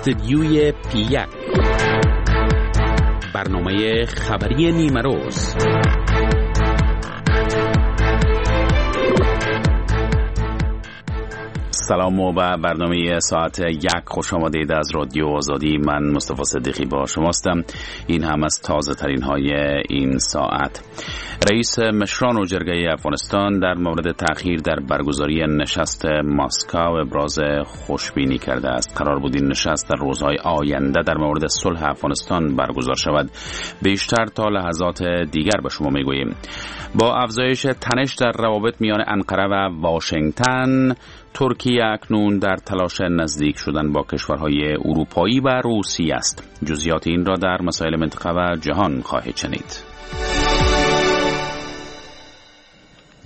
استدیوی پی 1، برنامه خبری نیمه روز. سلام و به برنامه ساعت 1 خوش آمدید از رادیو آزادی. من مصطفی صدیقی با شماستم. این هم از تازه ترین های این ساعت. رئیس مشران و جرگه افغانستان در مورد تأخیر در برگزاری نشست مسکو ابراز خوشبینی کرده است. قرار بود این نشست در روزهای آینده در مورد صلح افغانستان برگزار شود. بیشتر تا لحظات دیگر به شما میگوییم. با افزایش تنش در روابط میان انقره و واشنگتن، ترکیه اکنون در تلاش نزدیک شدن با کشورهای اروپایی و روسیه است. جزئیات این را در مسائل منطقه و جهان خواهید شنید.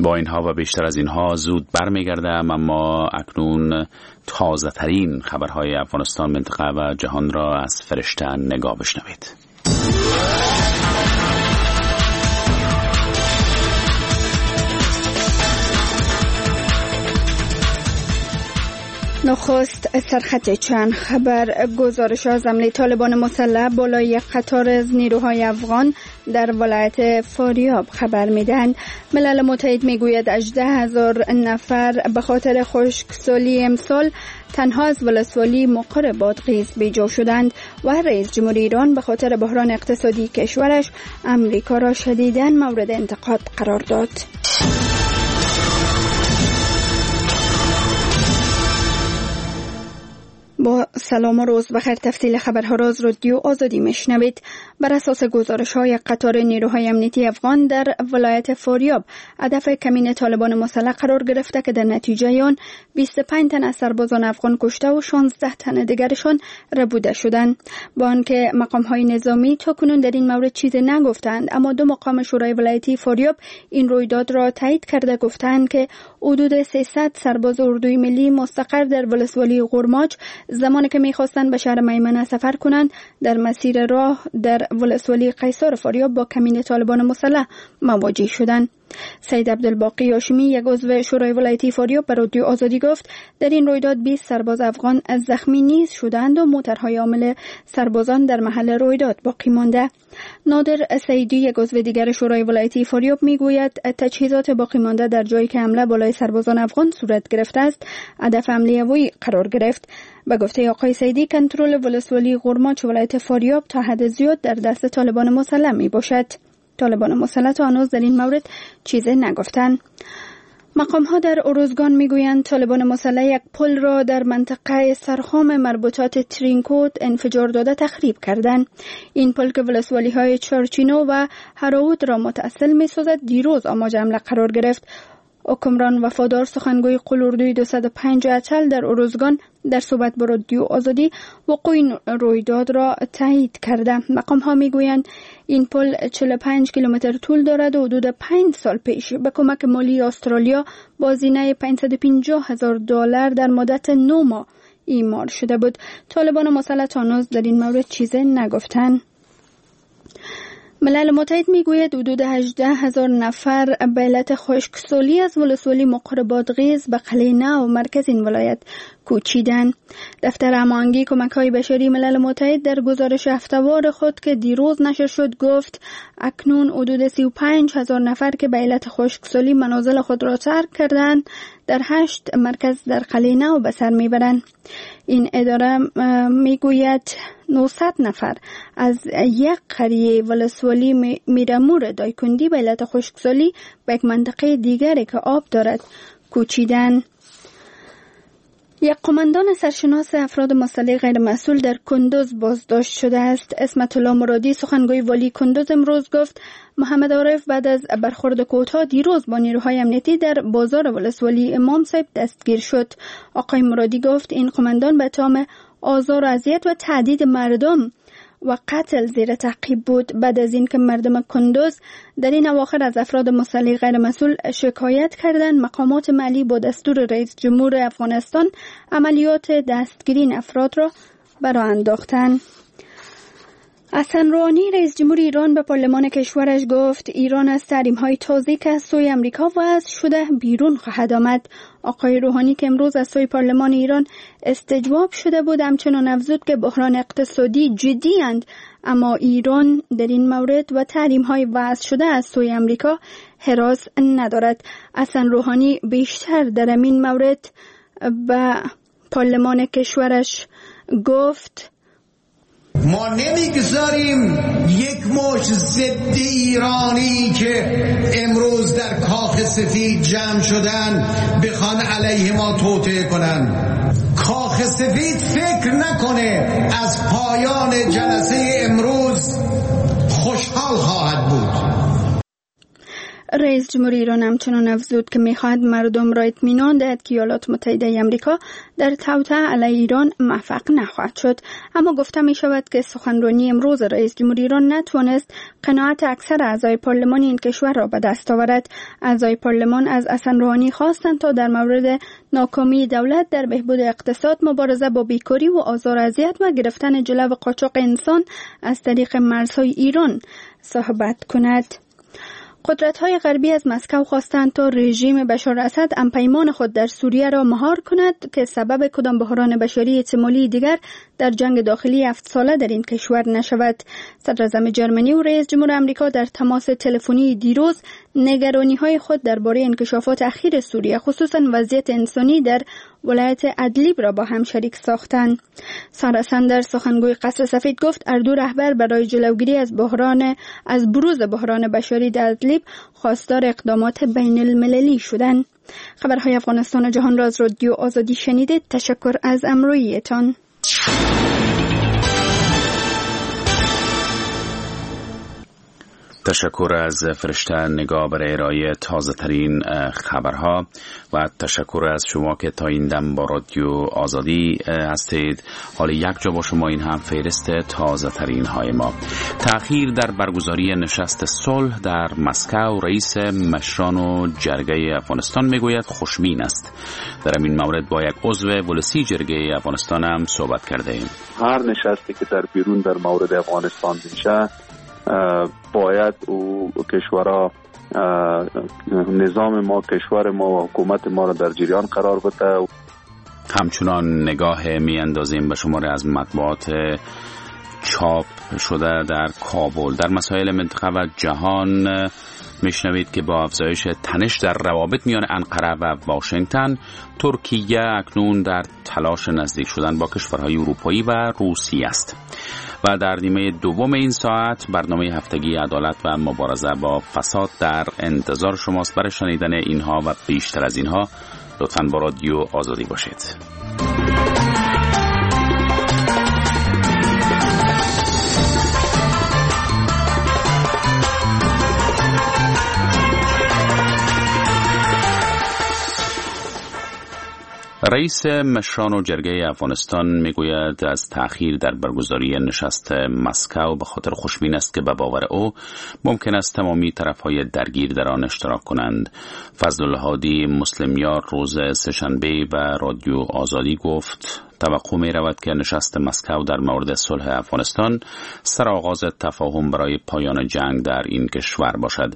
با اینها و بیشتر از اینها زود برمیگردم، اما اکنون تازه ترین خبرهای افغانستان، منطقه و جهان را از فرشته نگاه بشنوید. نخست سرخط چند خبر. گزارش از حمله طالبان مسلح بالای قطار از نیروهای افغان در ولایت فاریاب خبر میدهند. ملل متحد میگوید 18,000 نفر به خاطر خشکسالی امسال تنها از ولسوالی مقر بادغیس بیجا شدند و رئیس جمهور ایران به خاطر بحران اقتصادی کشورش امریکا را شدیداً مورد انتقاد قرار داد. با سلام و روز بخیر. تفصیل خبرها را از رادیو آزادی میشنوید. بر اساس گزارش های قطار نیروهای امنیتی افغان در ولایت فاریاب هدف کمین طالبان مسلح قرار گرفته که در نتیجه آن 25 تن از سربازان افغان کشته و 16 تن دیگرشان ربوده شدند. با آنکه مقام های نظامی تا کنون در این مورد چیزی نگفتند، اما دو مقام شورای ولایتی فاریاب این رویداد را تایید کرده گفتند که حدود 300 سرباز اردوی ملی مستقر در ولسوالی غرماج زمانی که میخواستند به شهر میمنه سفر کنند در مسیر راه در ولسوالی قیصار فاریاب با کمین طالبان مسلح مواجه شدند. سید عبدالباقی هاشمی، یک عضو شورای ولایتی فاریاب، به رادیو آزادی گفت در این رویداد 20 سرباز افغان از زخمی نیز شدند و موترهای عامل سربازان در محل رویداد باقی مانده. نادر سعیدی، یک عضو دیگر شورای ولایتی فاریاب، میگوید تجهیزات باقی مانده در جایی که حمله بالای سربازان افغان صورت گرفته است هدف حمله هوایی قرار گرفت. به گفته آقای سعیدی کنترل ولسوالی غرماچ ولایت فاریاب تا حد زیاد در دست طالبان مسلح می باشد. طالبان مسلح تا هنوز در این مورد چیزی نگفتند. مقام ها در اروزگان میگویند طالبان مسلح یک پل را در منطقه سرخام مربوطات ترینکوت انفجار داده تخریب کردند. این پل که ولسوالی های چارچینو و هراوت را متاصل می سازد دیروز آماج حمله قرار گرفت. حکمران وفادار، سخنگوی قلوردوی 205 اچل در اروزگان، در صحبت با رادیو آزادی وقوع این رویداد را تایید کرده. مقام ها میگویند این پل 45 کیلومتر طول دارد و حدود 5 سال پیش به کمک مالی استرالیا با هزینه 550,000 دلار در مدت 9 ماه ایمار شده بود. طالبان مسلح هنوز در این مورد چیزی نگفتند. ملل متحد میگوید حدود 18,000 نفر به علت خشکسالی از ولسوالی مقر بادغیس به قلعه نو مرکز این ولایت کوچیدند. دفتر هماهنگی کمک‌های بشری ملل متحد در گزارش هفته‌وار خود که دیروز نشر شد گفت اکنون حدود 35,000 نفر که به علت خشکسالی منازل خود را ترک کردند در 8 مرکز در قلعه نو به سر میبرند. این اداره میگوید 900 نفر از یک قریه ولسوالی میرمور دایکندی به علت خشکسالی به یک منطقه دیگری که آب دارد کوچیدن. یک قماندان سرشناس افراد مسلح غیر مسئول در کندوز بازداشت شده است. عصمت الله مرادی، سخنگوی والی کندوز، امروز گفت محمد عارف بعد از برخورد کوتاه دیروز با نیروهای امنیتی در بازار ولسوالی امام صاحب دستگیر شد. آقای مرادی گفت این قماندان به اتهام آزار و اذیت و تهدید مردم و قتل زیر تعقیب بود. بعد از اینکه مردم کندوز در این اواخر از افراد مسلح غیر مسئول شکایت کردند، مقامات محلی با دستور رئیس جمهور افغانستان عملیات دستگیری این افراد را براه انداختند. حسن روحانی رئیس جمهور ایران به پارلمان کشورش گفت ایران از تحریم‌های تازه که از سوی امریکا وضع شده بیرون خواهد آمد. آقای روحانی که امروز از سوی پارلمان ایران استجواب شده بود همچنان افزود که بحران اقتصادی جدی اند، اما ایران در این مورد و تحریم‌های وضع شده از سوی امریکا هراس ندارد. حسن روحانی بیشتر در این مورد به پارلمان کشورش گفت ما نمیگذاریم یک مش ضد ایرانی که امروز در کاخ سفید جمع شدن بخوان علیه ما توطئه کنن. کاخ سفید فکر نکنه از پایان جلسه امروز خوشحال خواهد بود. رئیس جمهور ایران همچنان افزود که میخواهد مردم را اطمینان دهد که ایالات متحده آمریکا در توطئه علیه ایران موفق نخواهد شد. اما گفته می شود که سخنرانی امروز رئیس جمهور ایران نتوانست قناعت اکثر اعضای پارلمان این کشور را به دست آورد. اعضای پارلمان از حسن روحانی خواستند تا در مورد ناکامی دولت در بهبود اقتصاد، مبارزه با بیکاری و آزار اذیت و گرفتن جلو قاچاق انسان از طریق مرزهای ایران صحبت کند. قدرت‌های غربی از مسکو خواستند تا رژیم بشار اسد همپیمان خود در سوریه را مهار کند که سبب کدام بحران بشری احتمالی دیگر در جنگ داخلی 7 ساله در این کشور نشود. صدراعظم جرمنی و رئیس جمهور آمریکا در تماس تلفنی دیروز نگرانی‌های خود درباره انکشافات اخیر سوریه، خصوصا وضعیت انسانی در ولایت ادلیب را با هم شریک ساختند. سارا ساندرز سخنگوی قصر سفید گفت هر دو رهبر برای جلوگیری از بروز بحران بشری در ادلیب خواستار اقدامات بین المللی شدند. خبرهای افغانستان و جهان را از رادیو آزادی شنیدید. تشکر از امرویتان. تشکر از فرشته نگاه برای ارائه تازه ترین خبرها و تشکر از شما که تا این دم با رادیو آزادی هستید. حال یک جا با شما این هم فهرست تازه ترین های ما. تأخیر در برگزاری نشست صلح در مسکو، رئیس مشران و جرگه افغانستان میگوید خوشبین است. در این مورد با یک عضو ولسی جرگه افغانستان هم صحبت کرده ایم. هر نشستی که در بیرون در مورد افغانستان میشه باید او کشورها نظام ما، کشور ما و حکومت ما را در جریان قرار بده. همچنان نگاه می اندازیم به شماره از مطبوعات چاپ شده در کابل. در مسائل منطقه و جهان میشنوید که با افزایش تنش در روابط میان انقره و واشنگتن، ترکیه اکنون در تلاش نزدیک شدن با کشورهای اروپایی و روسیه است. و در نیمه دوم این ساعت برنامه هفتگی عدالت و مبارزه با فساد در انتظار شماست. برای شنیدن اینها و بیشتر از اینها لطفاً با رادیو آزادی باشید. رئیس مشران و جرگه افغانستان میگوید از تأخیر در برگزاری نشست مسکو به خاطر خوشبین است که به باور او ممکن است تمامی طرف‌های درگیر در آن اشتراک کنند. فضل الهادی مسلمیار روز سه‌شنبه به رادیو آزادی گفت توقع می رود که نشست مسکو در مورد صلح افغانستان سرآغاز تفاهم برای پایان جنگ در این کشور باشد.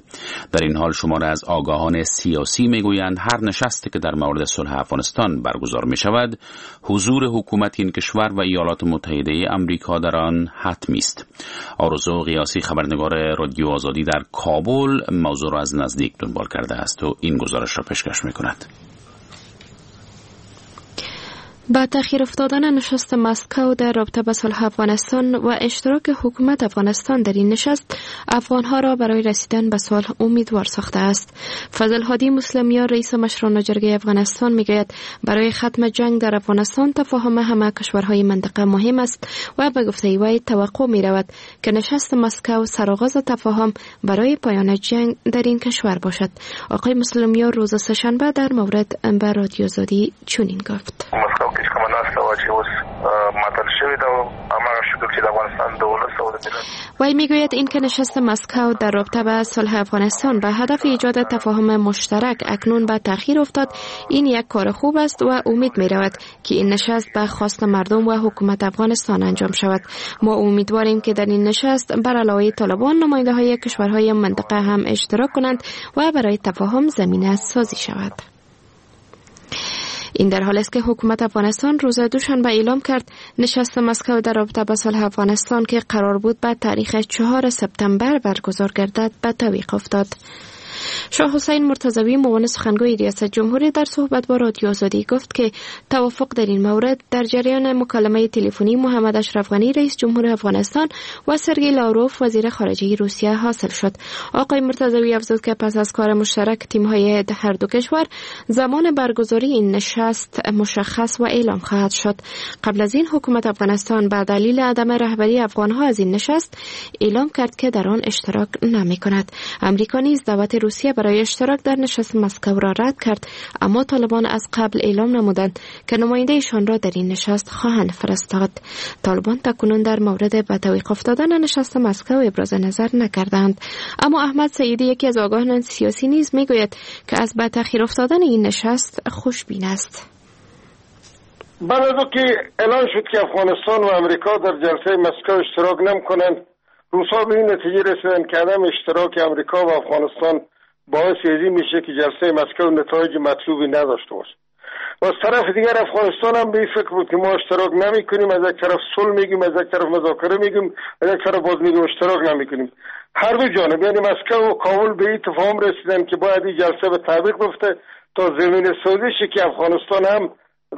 در این حال شمار از آگاهان سیاسی می گویند هر نشستی که در مورد صلح افغانستان برگزار می شود، حضور حکومت این کشور و ایالات متحده امریکا در آن حتمی است. آرزو غیاثی خبرنگار رادیو آزادی در کابل موضوع را از نزدیک دنبال کرده است و این گزارش را پیشکش می کند. با تأخیر افتادن نشست مسکو در رابطه با صلح افغانستان و اشتراک حکومت افغانستان در این نشست، افغانها را برای رسیدن به صلح امیدوار ساخته است. فضل هادی مسلمیار رئیس مشران جرگه افغانستان میگوید برای ختم جنگ در افغانستان تفاهم همه کشورهای منطقه مهم است و به گفته وی توقع می رود که نشست مسکو سرآغاز تفاهم برای پایان جنگ در این کشور باشد. آقای مسلمیار روز سه‌شنبه در مورد به رادیو آزادی چنین گفت: ناسته وه چې اوس معطل شوې ده او هماغه شکل چې د افغانستان د ولس او د ملت. وی میگوید این که نشست مسکو در رابطه به صلح افغانستان به هدف ایجاد تفاهم مشترک اکنون به تأخیر افتاد، این یک کار خوب است و امید می رود که این نشست به خواست مردم و حکومت افغانستان انجام شود. ما امیدواریم که در این نشست بر علاوه طالبان نماینده های کشورهای منطقه هم اشتراک کنند و برای تفاهم زمینه سازی شود. این در حال است که حکومت افغانستان روز دوشنبه اعلام کرد نشست مسکو در رابطه با صلح افغانستان که قرار بود به تاریخ 4 سپتامبر برگزار گردد به تعویق افتاد. شاه حسین مرتضوی، معاون سخنگوی ریاست جمهوری، در صحبت با رادیو آزادی گفت که توافق در این مورد در جریان مکالمه تلفنی محمد اشرف غنی، رئیس جمهور افغانستان، و سرگئی لاوروف، وزیر خارجه روسیه، حاصل شد. آقای مرتضوی افزود که پس از کار مشترک تیم‌های هر دو کشور، زمان برگزاری این نشست مشخص و اعلام خواهد شد. قبل از این حکومت افغانستان به دلیل عدم رهبری افغانها از این نشست اعلام کرد که در آن اشتراک نمی‌کند. امریکا نیز دعوت روسیه برای اشتراک در نشست مسکو را رد کرد، اما طالبان از قبل اعلام نمودند که نماینده ایشان را در این نشست خواهند فرستاد. طالبان تاکنون در مورد به تعویق افتادن نشست مسکو ابراز نظر نکردند. اما احمد سعیدی، یکی از آگاهان سیاسی، نیز میگوید که از به تأخیر افتادن این نشست خوشبین است. بعد از که اعلان شد که افغانستان و امریکا در جلسه مسکو اشتراک نمیکنند، روسا به این نتیجه رسیدند که عدم اشتراک امریکا و افغانستان باعث ازی میشه که جلسه مسکو نتایج مطلوبی نداشته باشه. و از طرف دیگر افغانستان هم به این فکر بود که ما اشتراک نمیکنیم، از یک طرف صلح میگیم، از یک طرف مذاکره میگیم، از یک طرف باز میگیم اشتراک نمیکنیم. هر دو جانب، یعنی مسکو و کابل، به این تفاهم رسیدن که باید این جلسه به تعویق بیفته تا زمینه سازی شه که افغانستان هم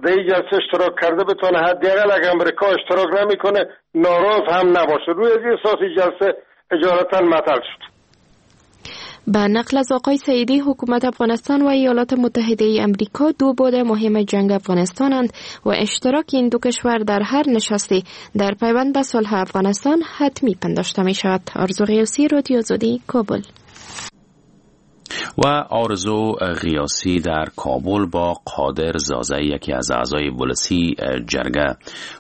در این جلسه اشتراک کرده بتونه، حداقل اگر امریکا اشتراک نمیکنه ناراض هم نباشه. روی از این اساس جلسه اجالتا معطل شد. به نقل از آقای سعیدی، حکومت افغانستان و ایالات متحده امریکا دو بعد مهم جنگ افغانستانند و اشتراک این دو کشور در هر نشستی در پیوند به صلح افغانستان حتمی پنداشته می شود. آرزو غیاثی، رادیو آزادی، کابل. و آرزو غیاثی در کابل با قادر زازی، یکی از اعضای ولسی جرگه،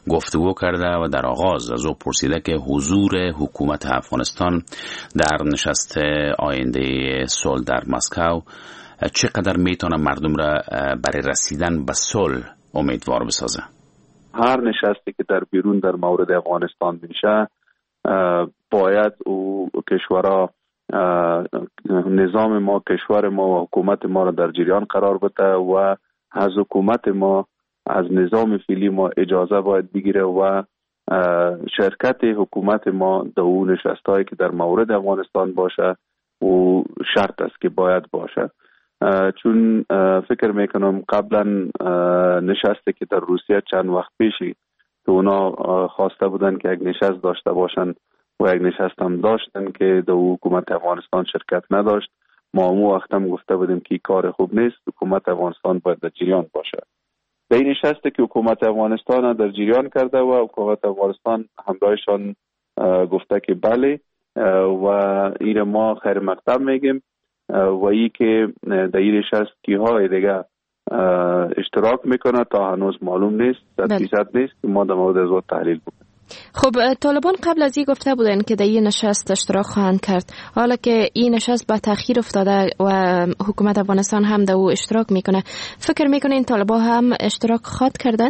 گفتگو کرده و در آغاز از او پرسیده که حضور حکومت افغانستان در نشست آینده صلح در مسکو چقدر میتونه مردم را برای رسیدن به صلح امیدوار بسازه. هر نشستی که در بیرون در مورد افغانستان میشه، باید او کشورها نظام ما، کشور ما و حکومت ما را در جریان قرار بده و از حکومت ما، از نظام فعلی ما اجازه باید بگیره و شرکت حکومت ما در اون نشست که در مورد افغانستان باشه و شرط است که باید باشه. چون فکر میکنم قبلا نشستی که در روسیه چند وقت پیشی که اونا خواسته بودن که یک نشست داشته باشن و یک نشست هم داشتن که در حکومت افغانستان شرکت نداشت، ما امو وقت هم گفته بودیم که کار خوب نیست، حکومت افغانستان باید در جریان باشه. در این نشست که حکومت افغانستان در جریان کرده و حکومت افغانستان همراهشان گفته که بله و این ما خیر مقدم میگیم و ای که در این نشست کیهای دیگه اشتراک میکنه تا هنوز معلوم نیست، 100% نیست که ما در مورد از تحلیل بکنیم. خب، طالبان قبل از این گفته بودند که در این نشست اشتراک خواهند کرد. حالا که این نشست به تاخیر افتاده و حکومت افغانستان هم در او اشتراک میکنه، فکر میکنین طالبان هم اشتراک خواهد کردن؟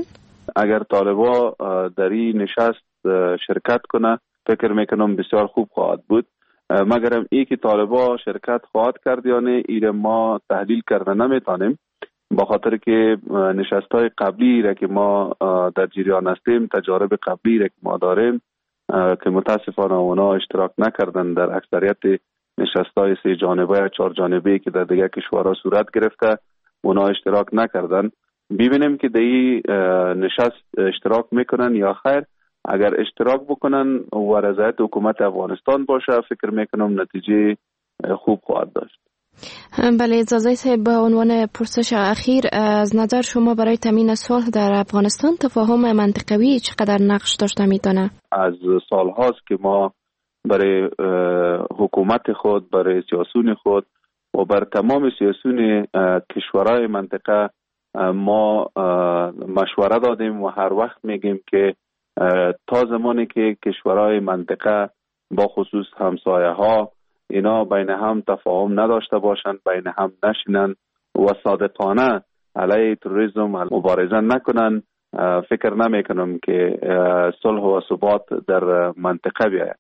اگر طالبان در این نشست شرکت کنه، فکر میکنم بسیار خوب خواهد بود. مگرم ای که طالبان شرکت خواهد کرد یا نه، ایره ما تحلیل کرده نمیتونیم، با خاطر که نشست های قبلی را که ما در جریان هستیم، تجارب قبلی را که ما داریم که متاسفانه اونا اشتراک نکردن در اکثریت نشست های سه جانبه یا چهار جانبه که در دیگر کشورها صورت گرفته، اونا اشتراک نکردن. ببینیم که در این نشست اشتراک میکنن یا خیر. اگر اشتراک بکنن و رضایت حکومت افغانستان باشه، فکر میکنم نتیجه خوب خواهد داشت. بله، زازی صاحب، به عنوان پرسش اخیر، از نظر شما برای تامین صلح در افغانستان تفاهم منطقوی چقدر نقش داشته میتونه؟ از سالهاست که ما برای حکومت خود، برای سیاسون خود و بر تمام سیاسون کشورهای منطقه ما مشوره دادیم و هر وقت میگیم که تا زمانی که کشورهای منطقه با خصوص همسایه ها اینا بین هم تفاهم نداشته باشند، بین هم نشینن و صادقانه علیه تروریسم مبارزه نکنن، فکر نمی کنم که صلح و ثبات در منطقه بیاید.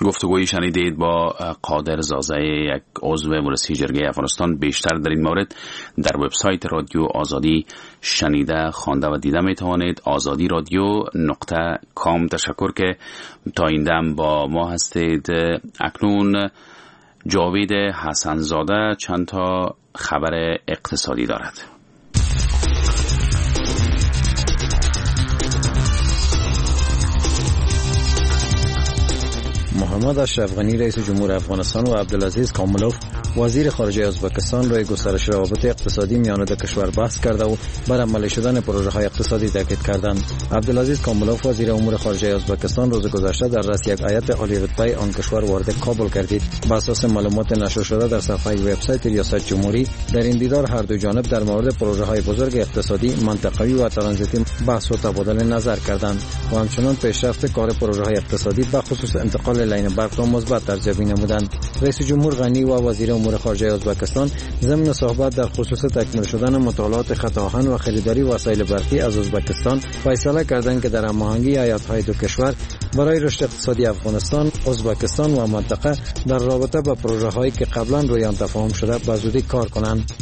گفتگویی شنیدید با قادر زازه، یک عضو ولسی جرگه افغانستان. بیشتر در این مورد در وبسایت رادیو آزادی شنیده، خوانده و دیده می توانید، آزادی رادیو .com. تشکر که تا این دم با ما هستید. اکنون جاوید حسنزاده چند تا خبر اقتصادی دارد. محمد اشرف غنی، رئیس جمهور افغانستان، و عبدالعزیز کاملوف، وزیر خارجه ازبکستان، روی گسترش روابط اقتصادی میان دو کشور بحث کرده و بر عملی شدن پروژه های اقتصادی تاکید کردند. عبدالعزیز کاملوف، وزیر امور خارجه ازبکستان، روز گذشته در رأس یک هیئت عالی رتبه آن کشور وارد کابل گردید. به اساس معلومات نشر شده در صفحه وبسایت ریاست جمهوری، در این دیدار هر دو جانب در مورد پروژه های بزرگ اقتصادی، منطقوی و ترانزیتی بحث و تبادل نظر کردند و همچنان پیشرفت کار پروژه های اقتصادی، به خصوص انتقال لاین برق را مثبت ارزیابی نمودند. رئیس جمهور غنی و وزیر امور خارجه ازبکستان ضمن صحبت در خصوص تکمیل شدن مطالعات خط آهن و خریداری وسایل برقی از ازبکستان فیصله کردند که در هماهنگی هیئت‌های دو کشور برای رشد اقتصادی افغانستان، ازبکستان و منطقه در رابطه با پروژه هایی که قبلا روی آن تفاهم شده به زودی کار کنند.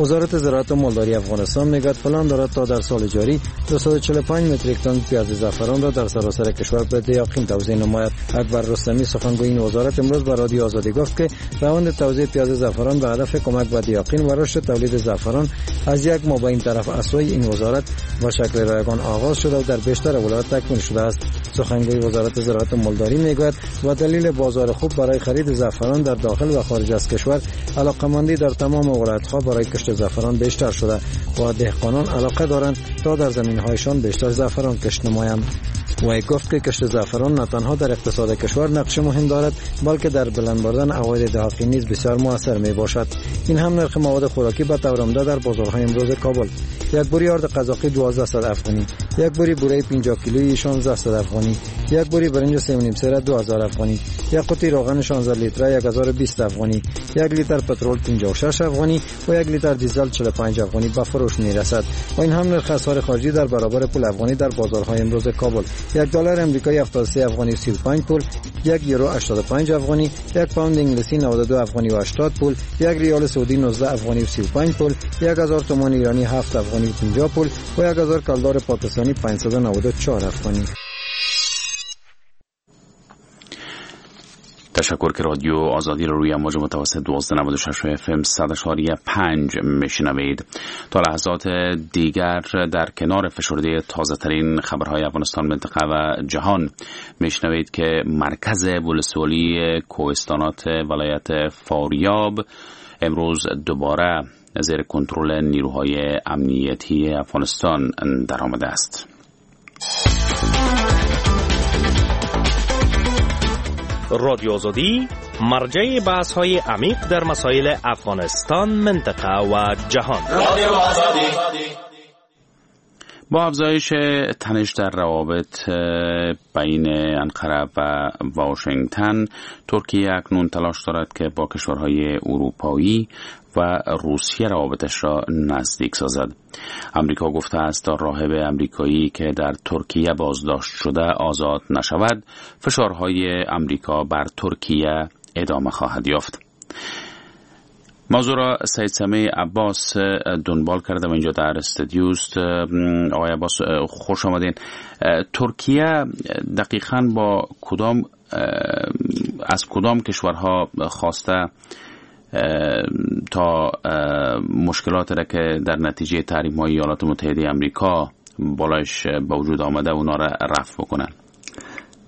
وزارت زراعت و مالداری افغانستان میگوید پلان دارد تا در سال جاری 245 متریک تن پیاز زعفران را در سراسر کشور به دهاقین توزیع نماید. اکبر رستمی، سخنگوی این وزارت، امروز به رادیو آزادی گفت که روند توزیع پیاز زعفران به هدف کمک به دهاقین و رشد تولید زعفران از یک ماه به این طرف از سوی این وزارت به شکل رایگان آغاز شده و در بیشتر ولایات تکمیل شده است. سخنگوی وزارت زراعت و مالداری میگوید و دلیل بازار خوب برای خرید زعفران در داخل و خارج از کشور، علاقمندی در تمام ولایت‌ها برای کشت زعفران بیشتر شده و دهقانان علاقه دارند تا در زمینهایشان بیشتر زعفران کشت نمایند. وی گفت که کشت زعفران نه تنها در اقتصاد کشور نقش مهم دارد، بلکه در بلند بردن عواید دهاقین نیز بسیار موثر می باشد. این هم نرخ مواد خوراکی به طور عمده در بازارهای امروز کابل: یک بری آرد قزاقی 1200 افغانی، یک بری بوره 50 کیلویی 1600 افغانی، یک بری برنج 3.5 سیره 2000 افغانی، یک قوطی روغن 16 لیتره 1020 افغانی، یک لیتر پترول 56 افغانی و یک لیتر دیزل 45 افغانی به فروش می رسد. و این هم نرخ اسعار خارجی در برابر پول افغانی در بازارهای امروز کابل: یک دلار امریکایی 73 افغانی 35 پول، یک یورو 85 افغانی، یک پوند انگلیسی 92 افغانی و 80 پول، یک ریال سعودی 19 افغانی و 35 پول، 1000 تومان ایرانی 7 افغانی و 50 پول و 1000 کلدار پاکستانی 594 افغانی. تشکر که رادیو آزادی رو روی امواج متوسط 1296 FM 100.5 میشنوید. تا لحظات دیگر در کنار فشرده تازه ترین خبرهای افغانستان، منطقه و جهان میشنوید که مرکز ولسوالی کوهستانات ولایت فاریاب امروز دوباره زیر کنترل نیروهای امنیتی افغانستان درآمده است. رادیو آزادی، مرجع بحث های عمیق در مسائل افغانستان، منطقه و جهان. رادیو آزادی. با افزایش تنش در روابط بین انقره و واشنگتن، ترکیه اکنون تلاش دارد که با کشورهای اروپایی و روسیه روابطش را نزدیک سازد. امریکا گفته است تا راهب امریکایی که در ترکیه بازداشت شده آزاد نشود، فشارهای امریکا بر ترکیه ادامه خواهد یافت. موضوع را سید سمیع عباس دنبال کرده و اینجا در استودیوست. آقای عباس، خوش آمدین. ترکیه دقیقاً با کدام از کدام کشورها خواسته تا مشکلات را که در نتیجه تحریم های ایالات متحده امریکا بالایش به وجود آمده اونا را رفع بکنن؟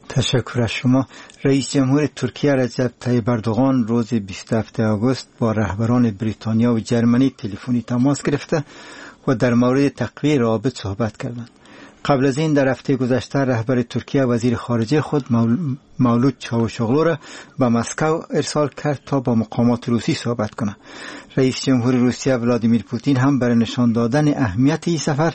تشکر از شما. رئیس جمهور ترکیه رجب طیب اردوغان روز 27 آگوست با رهبران بریتانیا و جرمنی تلفنی تماس گرفته و در مورد تقویه روابط صحبت کردند. قبل از این در هفته گذشته رهبر ترکیه وزیر خارجه خود مولود چاوشوغلو را به مسکو ارسال کرد تا با مقامات روسی صحبت کند. رئیس جمهور روسیه ولادیمیر پوتین هم برای نشان دادن اهمیت این سفر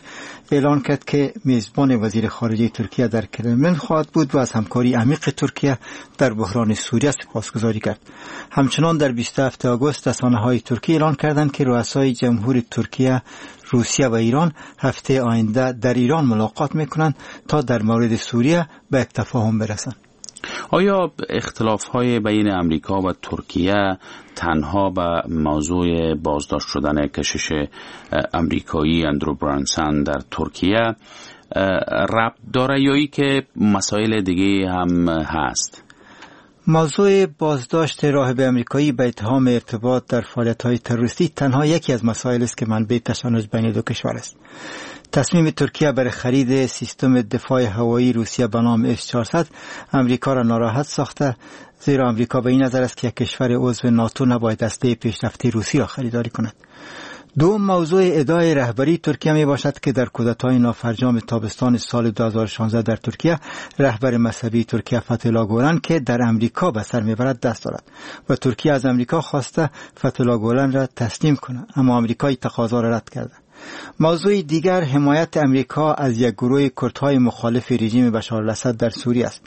اعلان کرد که میزبان وزیر خارجه ترکیه در کرملین خواهد بود و از همکاری عمیق ترکیه در بحران سوریه سپاسگزاری کرد. همچنان در 27 آگوست رسانه‌های ترکیه اعلان کردند که رؤسای جمهور ترکیه، روسیه و ایران هفته آینده در ایران ملاقات میکنند تا در مورد سوریه به یک تفاهم برسند. آیا اختلاف‌های بین امریکا و ترکیه تنها به موضوع بازداشت شدن کشیش امریکایی اندرو برانسون در ترکیه ربط داره یا ای که مسائل دیگه هم هست؟ موضوع بازداشت راهب امریکایی به اتهام ارتباط در فعالیت‌های تروریستی تنها یکی از مسائل است که منبع تشنج بین دو کشور است. تصمیم ترکیه برای خرید سیستم دفاع هوایی روسیه به نام S-400 امریکا را ناراحت ساخته، زیرا امریکا به این نظر است که یک کشور عضو ناتو نباید اسلحه پیشرفته روسی را خریداری کند. دوم موضوع ادعای رهبری ترکیه می باشد که در کودتای نافرجام تابستان سال 2016 در ترکیه رهبر مذهبی ترکیه فتح‌الله گولن که در امریکا به سر میبرد دست دارد و ترکیه از امریکا خواسته فتح‌الله گولن را تسلیم کند، اما امریکا این تقاضا را رد کرده. موضوع دیگر حمایت امریکا از یک گروه کردهای مخالف رژیم بشار الاسد در سوریه است.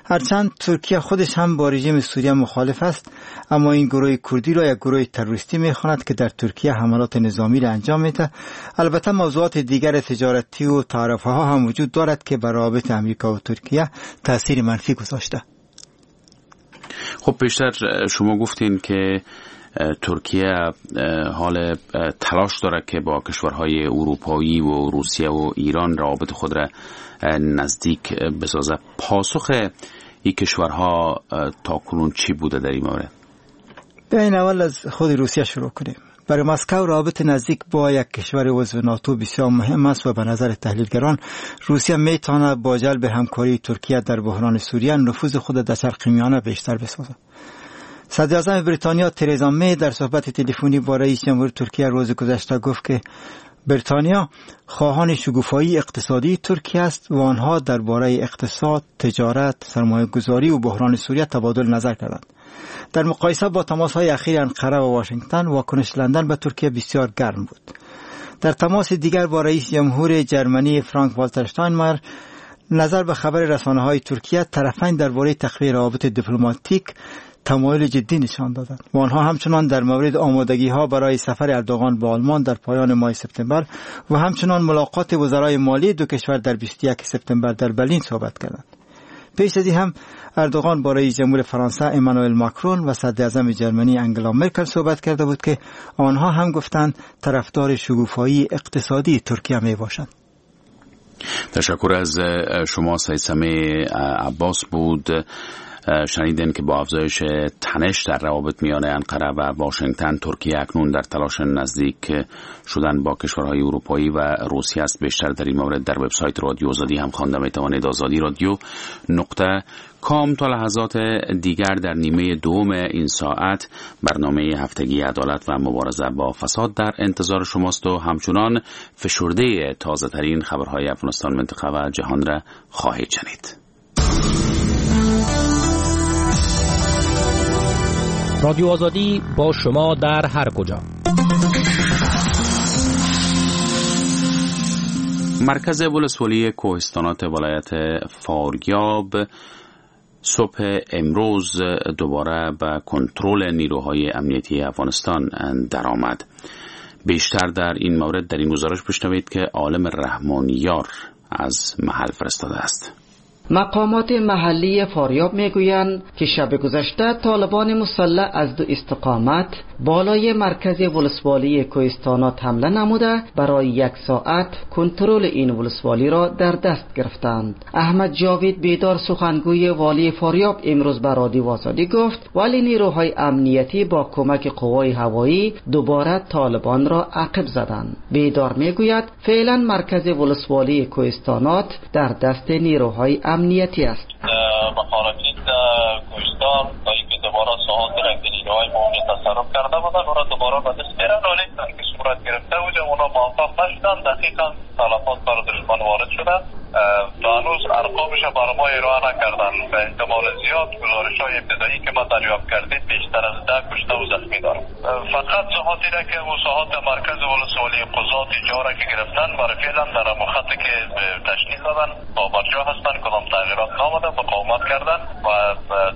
هرچند ترکیه خودش هم با رژیم سوریه مخالف است، اما این گروه کردی را یک گروه تروریستی می‌خواند که در ترکیه حملات نظامی را انجام می‌دهد. البته موضوعات دیگر تجارتی و تعرفه‌ها هم وجود دارد که بر روابط امریکا و ترکیه تاثیر منفی گذاشته. خب پیشتر شما گفتین که ترکیه حال تلاش داره که با کشورهای اروپایی و روسیه و ایران روابط خود را نزدیک بسازه. پاسخ این کشورها تا کنون چی بوده در این مورد؟ بیاین اول از خود روسیه شروع کنیم. برای مسکو روابط نزدیک با یک کشور عضو ناتو بسیار مهم است و به نظر تحلیلگران روسیه میتواند با جلب همکاری ترکیه در بحران سوریه نفوذ خود در شرق میانه بیشتر بسازد. صدراعظم بریتانیا ترزا می در صحبت تلفنی با رئیس جمهور ترکیه روز گذشته گفت که بریتانیا خواهان شکوفایی اقتصادی ترکیه است و آنها درباره اقتصاد، تجارت، سرمایه‌گذاری و بحران سوریه تبادل نظر کردند. در مقایسه با تماس‌های اخیر انقره و واشنگتن، واکنش لندن به ترکیه بسیار گرم بود. در تماس دیگر با رئیس جمهور جرمنی فرانک والتر اشتاینمایر، نظر به خبر رسانه‌های ترکیه، طرفین درباره تقویت روابط دیپلماتیک تمایل جدی نشان دادند و آنها همچنان در مورد آمادگی‌ها برای سفر اردوغان به آلمان در پایان ماه سپتامبر و همچنان ملاقات وزرای مالی دو کشور در 21 سپتامبر در برلین صحبت کردند. پیش از این هم اردوغان با رئیس جمهور فرانسه امانوئل ماکرون و صدراعظم جرمنی انگلا مرکل صحبت کرده بود که آنها هم گفتند طرفدار شکوفایی اقتصادی ترکیه می باشند. تشکر از شما سید سمیع عباس بود. شنیدن که با افزایش تنش در روابط میان انقره و واشنگتن، ترکیه اکنون در تلاش نزدیک شدن با کشورهای اروپایی و روسیه است. بیشتر در این مورد در وبسایت رادیو آزادی هم خوانده میتوانید، آزادی رادیو .com. تا لحظات دیگر در نیمه دوم این ساعت برنامه هفتگی عدالت و مبارزه با فساد در انتظار شماست و همچنان فشرده تازه ترین خبرهای افغانستان، منطقه و جهان را خواهید شنید. رادیو آزادی با شما در هر کجا. مرکز ولسوالی کوهستانات ولایت فاریاب صبح امروز دوباره به کنترل نیروهای امنیتی افغانستان درآمد. بیشتر در این مورد در این گزارش بشنوید که عالم رحمانیار از محل فرستاده است. مقامات محلی فاریاب میگویند که شب گذشته طالبان مسلح از دو استقامت بالای مرکز ولسوالی کوهستانات حمله نموده برای یک ساعت کنترل این ولسوالی را در دست گرفتند. احمد جاوید بیدار سخنگوی والی فاریاب امروز به رادیو آزادی گفت ولی نیروهای امنیتی با کمک قوای هوایی دوباره طالبان را عقب زدند. بیدار میگوید فعلا مرکز ولسوالی کوهستانات در دست نیروهای امنیتی است. مخالفین در کوهستان تا اینکه دوباره دوباره ساحات را که نیروهای ما اونجا تصرف کرده بودن اون را دوباره به دست بیارن. ولی که صورت گرفته بود اونا موفق نشدن. دقیقا تلفات بر دشمن وارد شده. تا هنوز ارقامش بر ما ارائه نکردن. به احتمال زیاد گزارش های ابتدایی که ما دریافت کردیم بیشتر از 10 کشته و زخمی دارم. فقط ساحاتی را که ساحات مرکز ولسوالی قضات جا را که گرفتن برای فعلا در خط که تشکیل دادن با برجا هستن، کدام تغییرات نامده، مقاومت کردن و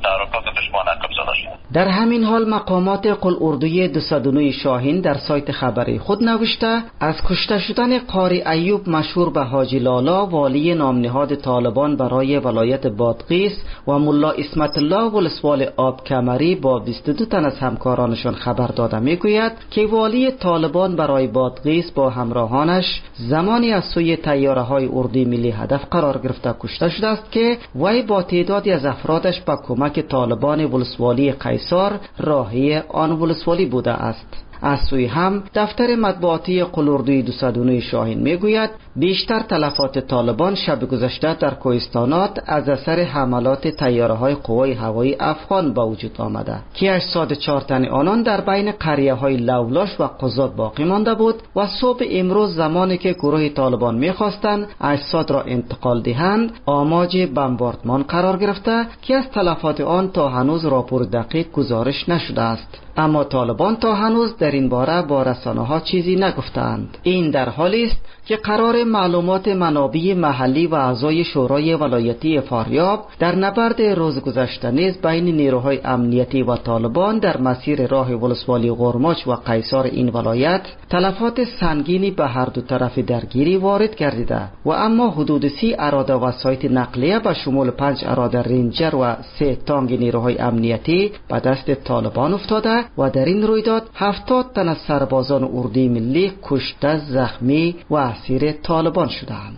تحرکات دشمن عقب زده شد. در همین حال مقامات قل اردوی 209 شاهین در سایت خبری خود نوشته از کشته شدن قاری ایوب مشهور به حاجی لالا والی نامنهاد طالبان برای ولایت بادغیس و ملا عصمت الله ولسوال آب کمری با 22 تن از همکارانشان خبر داده میگوید که والی طالبان برای بادغیس با همراهانش زمانی از سوی طیاره های اردوی ملی هدف قرار گرفته کشته شده است که وی با تعدادی از افرادش با کمک طالبان ولسوالی قیصار راهی آن ولسوالی بوده است. از سوی هم دفتر مطبوعاتی قلوردوی 209 شاهین میگوید بیشتر تلفات طالبان شب گذشته در کوهستانات از اثر حملات طیاره های قوای هوایی افغان با وجود آمده که 84 تن آنان در بین قریه های لولاش و قزاد باقی مانده بود و صبح امروز زمانی که گروه طالبان میخواستند اجساد را انتقال دهند آماج بمباردمان قرار گرفته که از تلفات آن تا هنوز راپور دقیق گزارش نشده است. اما طالبان تا هنوز در این باره با رسانه ها چیزی نگفتند. این در حالی است که قرار معلومات منابع محلی و اعضای شورای ولایتی فاریاب در نبرد روز گذشته نیز بین نیروهای امنیتی و طالبان در مسیر راه ولسوالی غرماچ و قیصار این ولایت تلفات سنگینی به هر دو طرف درگیری وارد گردیده و اما حدود 30 اراده وسایط نقلیه به شمول 5 اراده رینجر و 3 تانک نیروهای امنیتی به دست طالبان افتاده و در این رویداد 70 تن از سربازان اردوی ملی کشته، زخمی و اسیر طالبان شدند.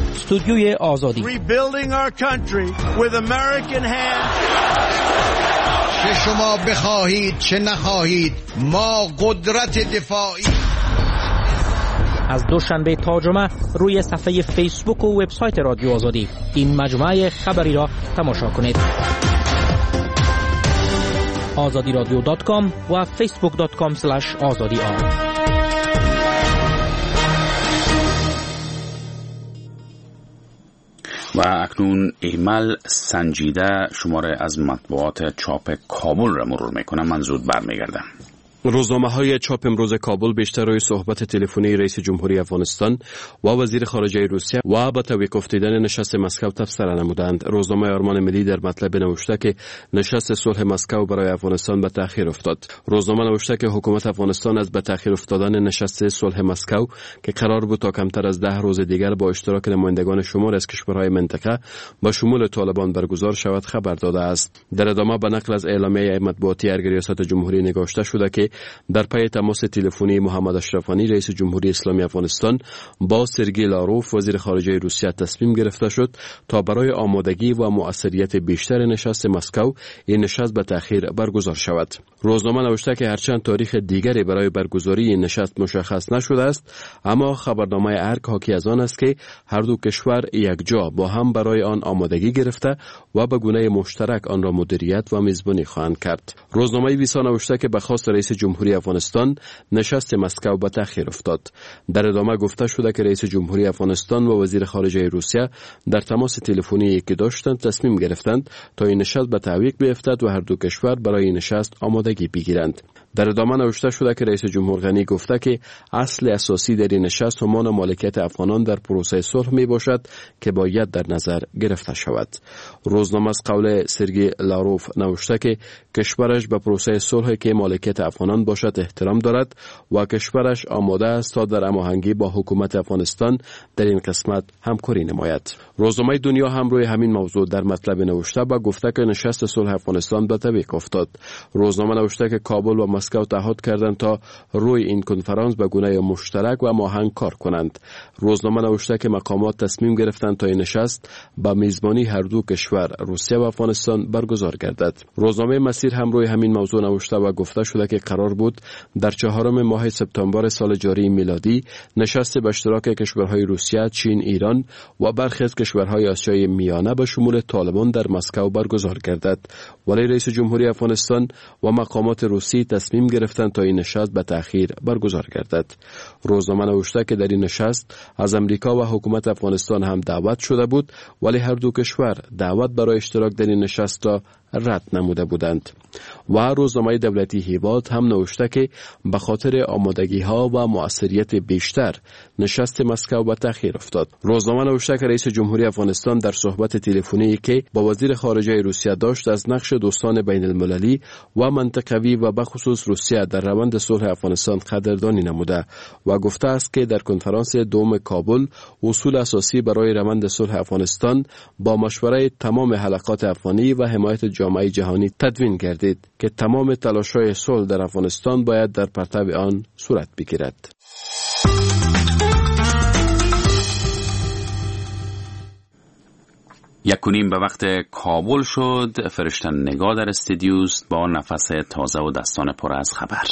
استودیوی آزادی. چه شما بخواهید چه نخواهید ما قدرت دفاعی. از دوشنبه تا جمعه روی صفحه فیسبوک و وبسایت رادیو آزادی این مجموعه خبری را تماشا کنید. azadiradio.com و facebook.com/azadiar. و اکنون ایمل سنجیده شماره از مطبوعات چاپ کابل را مرور میکنم. من زود برمیگردم. روزنامه‌های چاپ امروز کابل بیشتر روی صحبت تلفنی رئیس جمهوری افغانستان و وزیر خارجه روسیه و به تعویق افتادن نشست مسکو تبصره نمودند. روزنامه آرمان ملی در مطلب نوشته که نشست صلح مسکو برای افغانستان به تأخیر افتاد. روزنامه نوشته که حکومت افغانستان از به تأخیر افتادن نشست صلح مسکو که قرار بود تا کمتر از 10 روز دیگر با اشتراک نمایندگان شمار از کشورهای منطقه با شمول طالبان برگزار شود خبر داده است. در ادامه به نقل از اعلامیه مطبوعاتی ارگ ریاست جمهوری نگاشته شده که در پی تماس تلفنی محمد اشرف غنی رئیس جمهوری اسلامی افغانستان با سرگی لاروف وزیر خارجه روسیه تصمیم گرفته شد تا برای آمادگی و مؤثریت بیشتر نشست مسکو این نشست به تأخیر برگزار شود. روزنامه نوشته که هرچند تاریخ دیگری برای برگزاری این نشست مشخص نشده است، اما خبرنامه ارگ حاکی از آن است که هر دو کشور یکجا با هم برای آن آمادگی گرفته و به گونه مشترک آن را مدیریت و میزبانی خواهند کرد. روزنامه ویسا نوشته که به خواست رئیس جمهوری افغانستان نشست مسکو به تأخیر افتاد. در ادامه گفته شده که رئیس جمهوری افغانستان و وزیر خارجه روسیه در تماس تلفنی که داشتند تصمیم گرفتند تا این نشست به تعویق بیفتد و هر دو کشور برای این نشست آمادگی بگیرند. در ادامه نوشته شده که رئیس جمهور غنی گفته که اصل اساسی در این نشست همان مالکیت افغانان در پروسه صلح می باشد که باید در نظر گرفته شود. روزنامه از قول سرگی لاروف نوشته که کشورش به پروسه صلح که مالکیت افغانان باشد احترام دارد و کشورش آماده است تا در هماهنگی با حکومت افغانستان در این قسمت همکاری نماید. روزنامه دنیا هم روی همین موضوع در مطلب نوشته و گفته که نشست صلح افغانستان به تعویق افتاد. روزنامه نوشته که کابل و مسکو مسکو تعهد کردند تا روی این کنفرانس به گونه مشترک و ماهنگ کار کنند. روزنامه نوشته که مقامات تصمیم گرفتند تا این نشست با میزبانی هر دو کشور روسیه و افغانستان برگزار گردد. روزنامه مسیر هم روی همین موضوع نوشته و گفته شده که قرار بود در 4 ماه سپتامبر سال جاری میلادی نشست به اشتراک کشورهای روسیه، چین، ایران و برخی از کشورهای آسیای میانه به شمول طالبان در مسکو برگزار گردد. ولی رئیس جمهوری افغانستان و مقامات روسی تصمیم گرفتند تا این نشست به تأخیر برگزار گردد. روزنامه نوشته که در این نشست از امریکا و حکومت افغانستان هم دعوت شده بود، ولی هر دو کشور دعوت برای اشتراک در این نشست را رد نموده بودند. و روزنامه دولتی هیواد هم نوشته که به خاطر آمادگی ها و مؤثریت بیشتر نشست مسکو به تأخیر افتاد. روزنامه نوشته که رئیس جمهوری افغانستان در صحبت تلفنی که با وزیر خارجه روسیه داشت از نقش دوستان بین المللی و منطقوی و بخصوص روسیه در روند صلح افغانستان قدردانی نموده و گفته است که در کنفرانس دوم کابل اصول اساسی برای روند صلح افغانستان با مشوره تمام حلقات افغانی و حمایت جامعه جهانی تدوین گردید که تمام تلاش‌های صلح در افغانستان باید در پرتو آن صورت بگیرد. 1:30 به وقت کابل شد. فرشته نگاه در استودیوست با نفس تازه و دستان پر از خبر.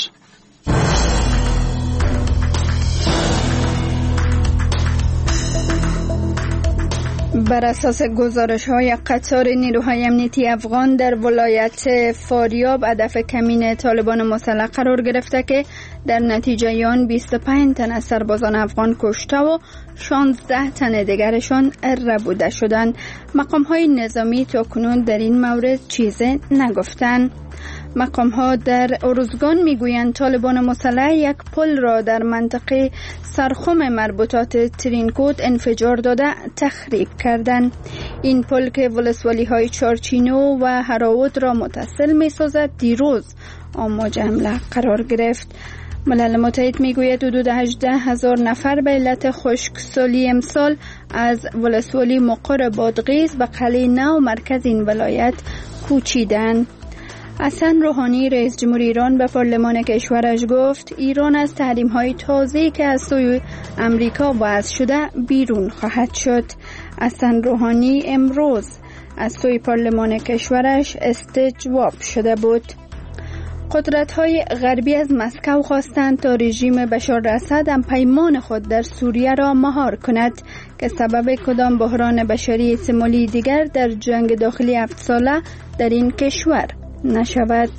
بر اساس گزارش‌های قطار نیروهای امنیتی افغان در ولایت فاریاب هدف کمین طالبان مسلح قرار گرفته که در نتیجه آن 25 تن از سربازان افغان کشته و 16 تن دیگرشان ربوده شدند. مقام‌های نظامی تاکنون در این مورد چیز نگفتند. مقام ها در ارزگان میگویند طالبان مسلح یک پل را در منطقه سرخم مربوطات ترینکوت انفجار داده تخریب کردند. این پل که ولسوالی های چارچینو و هراوت را متصل می سازد دیروز آماج حمله قرار گرفت. ملل متحد میگوید حدود 18,000 نفر به علت خشکسالی امسال از ولسوالی مقر بادغیس به قلعه نو مرکز این ولایت کوچیدند. حسن روحانی رئیس جمهور ایران به پارلمان کشورش گفت ایران از تحریم‌های تازه‌ای که از سوی امریکا وضع شده بیرون خواهد شد. حسن روحانی امروز از سوی پارلمان کشورش استجواب شده بود. قدرت‌های غربی از مسکو خواستند تا رژیم بشار اسد هم پیمان خود در سوریه را مهار کند که سبب کدام بحران بشری احتمالی دیگر در جنگ داخلی 7 ساله در این کشور نشود.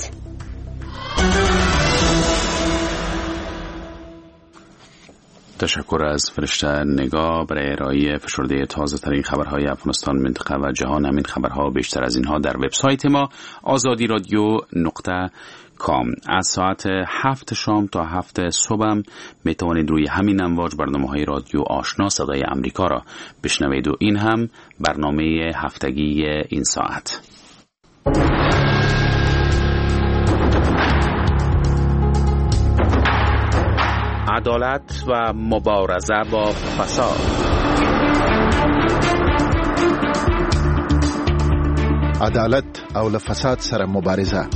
تشکر از فرشته نگاه برای ارائه فشرده تازه ترین خبرهای افغانستان، منطقه و جهان. همین خبرها بیشتر از اینها در وبسایت ما آزادی رادیو .com. از ساعت 7 شام تا 7 صبح می توانید روی همین امواج برنامه های رادیو آشنا صدای امریکا را بشنوید و این هم برنامه هفتگی این ساعت. عدالت و مبارزه با فساد. عدالت او له فساد سره مبارزه.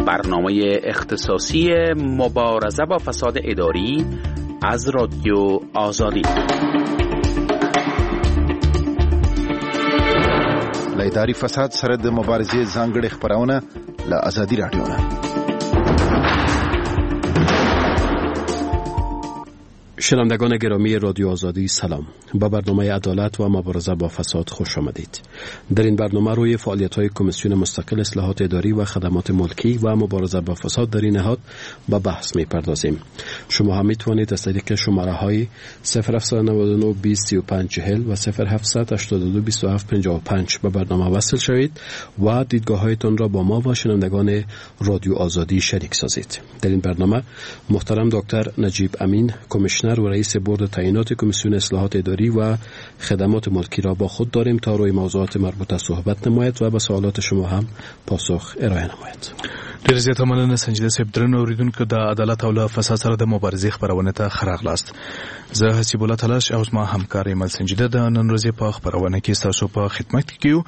برنامه اختصاصی مبارزه با فساد اداری از رادیو آزادی. له اداري فساد سره د مبارزې ځانګړې خپرونه له ازادي راډیو نه. شنوندگان گرامی رادیو آزادی سلام. با برنامه عدالت و مبارزه با فساد خوش آمدید. در این برنامه روی فعالیت‌های کمیسیون مستقل اصلاحات اداری و خدمات ملکی و مبارزه با فساد در این نهاد به بحث می‌پردازیم. شما هم می‌توانید از طریق شماره‌های 0799 20 35 40 و 0782 27 55 به برنامه وصل شوید و دیدگاه‌هایتان را با ما و شنوندگان رادیو آزادی شریک سازید. در این برنامه محترم دکتر نجیب امین، کمیشنر و رئیس بورد تعیینات کمیسیون اصلاحات اداری و خدمات ملکی را با خود داریم تا روی موضوعات مربوطه صحبت نماید و به سوالات شما هم پاسخ ارائه نماید. ډېر زیاته مننه سنجیده صاحب. درنو اوریدونکو د عدالت او له فساد سره د مبارزې خپرونې ته ښه راغلاست. زه حسیب الله تلاش او زما همکار ایمل سنجیده د نن ورځې په خپرونه کې ستاسو په خدمت کې یو.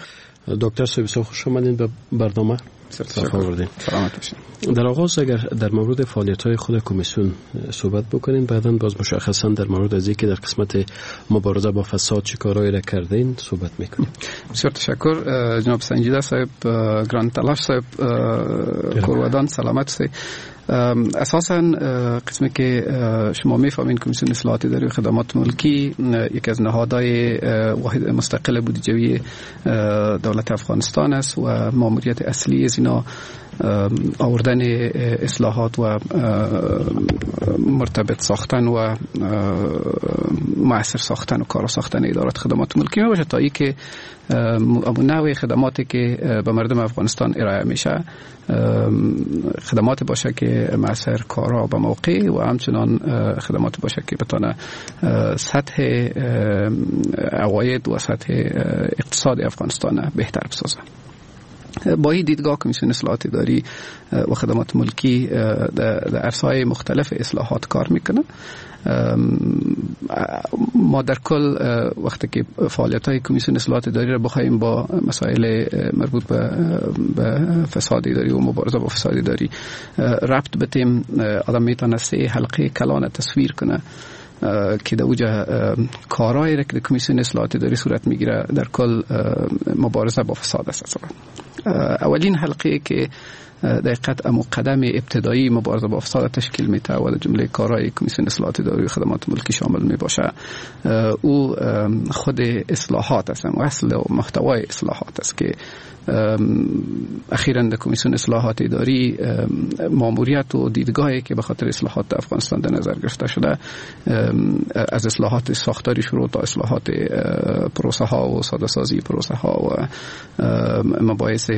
دکتر صاحب بسیار خوش آمدین به برنامه. سلامت باشین. در آغاز اگر در مورد فعالیت‌های خود کمیسیون صحبت بکنیم، بعداً باز مشخصاً در مورد از اینکه در قسمت مبارزه با فساد چه کارهایی را کردین صحبت میکنیم. بسیار تشکر جناب سنجیده صاحب، گران تلاش صاحب، کورودان سلامت صاحب. اساساً قسمی که شما میفهمین کمیسیون اصلاحات اداری و خدمات ملکی یکی از نهادهای واحد مستقل بودجوی دولت افغانستان است و ماموریت اصلی از اینا آوردن اصلاحات و مرتبط ساختن و مؤثر ساختن و کارا ساختن ادارات خدمات ملکی می باشه تا اینکه نوع خدماتی که به مردم افغانستان ارائه میشه خدمات باشه که مؤثر، کارا به موقع و همچنان خدمات باشه که بتانه سطح عواید و سطح اقتصاد افغانستان بهتر بسازه. با این دیدگاه کمیسیون اصلاحات اداری و خدمات ملکی در عرصه‌های مختلف اصلاحات کار میکنه. ما در کل وقتی که فعالیت‌های کمیسیون اصلاحات اداری را بخوایم با مسائل مربوط به فساد اداری و مبارزه با فساد اداری ربط بدیم، آدم میتونه سه حلقه کلان تصویر کنه که در اوجه کارهایی را که کمیسیون اصلاحات اداری صورت میگیره در کل مبارزه با فساد است. اولین حلقه که دقیقاً امو قدم ابتدایی مبارزه با فساد تشکیل میده و در جمله کارهای کمیسیون اصلاحات اداری و خدمات ملکی شامل میباشه، او خود اصلاحات است و اصل و محتوای اصلاحات است که اخیراً در کمیسیون اصلاحات اداری ماموریت و دیدگاهی که به خاطر اصلاحات در افغانستان در نظر گرفته شده از اصلاحات ساختاری شروع تا اصلاحات پروسه ها و ساده سازی پروسه ها و مباحث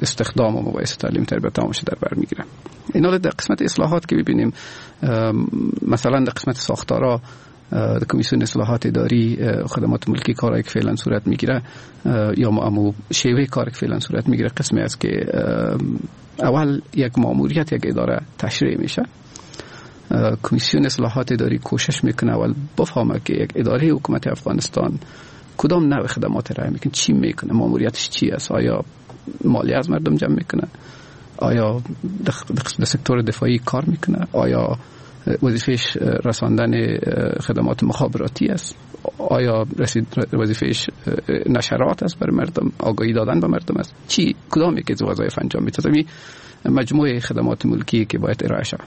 استخدام و مباحث تعلیم تربیت تمامش در بر میگیره. اینا در قسمت اصلاحات که ببینیم، مثلا در قسمت ساختارا در کمیسیون اصلاحات اداری خدمات ملکی کارهایی که فعلا صورت میگیره یا امو شیوه کاری که فعلا صورت میگیره قسمی است که اول یک ماموریت یک اداره تشریح میشه. کمیسیون اصلاحات اداری کوشش میکنه اول بفهمه که یک اداره حکومت افغانستان کدام نوع خدمات ارائه میکنه، چی میکنه، ماموریتش چی است، آیا مالی از مردم جمع میکنه، آیا در سکتور دفاعی کار میکنه، آیا وظیفهش رساندن خدمات مخابراتی است، آیا وظیفهش نشرات است برای مردم، آگاهی دادن به مردم است، چی کدام یکی از وظایف انجام میده. مجموعه خدمات ملکی که باید ارائه شود.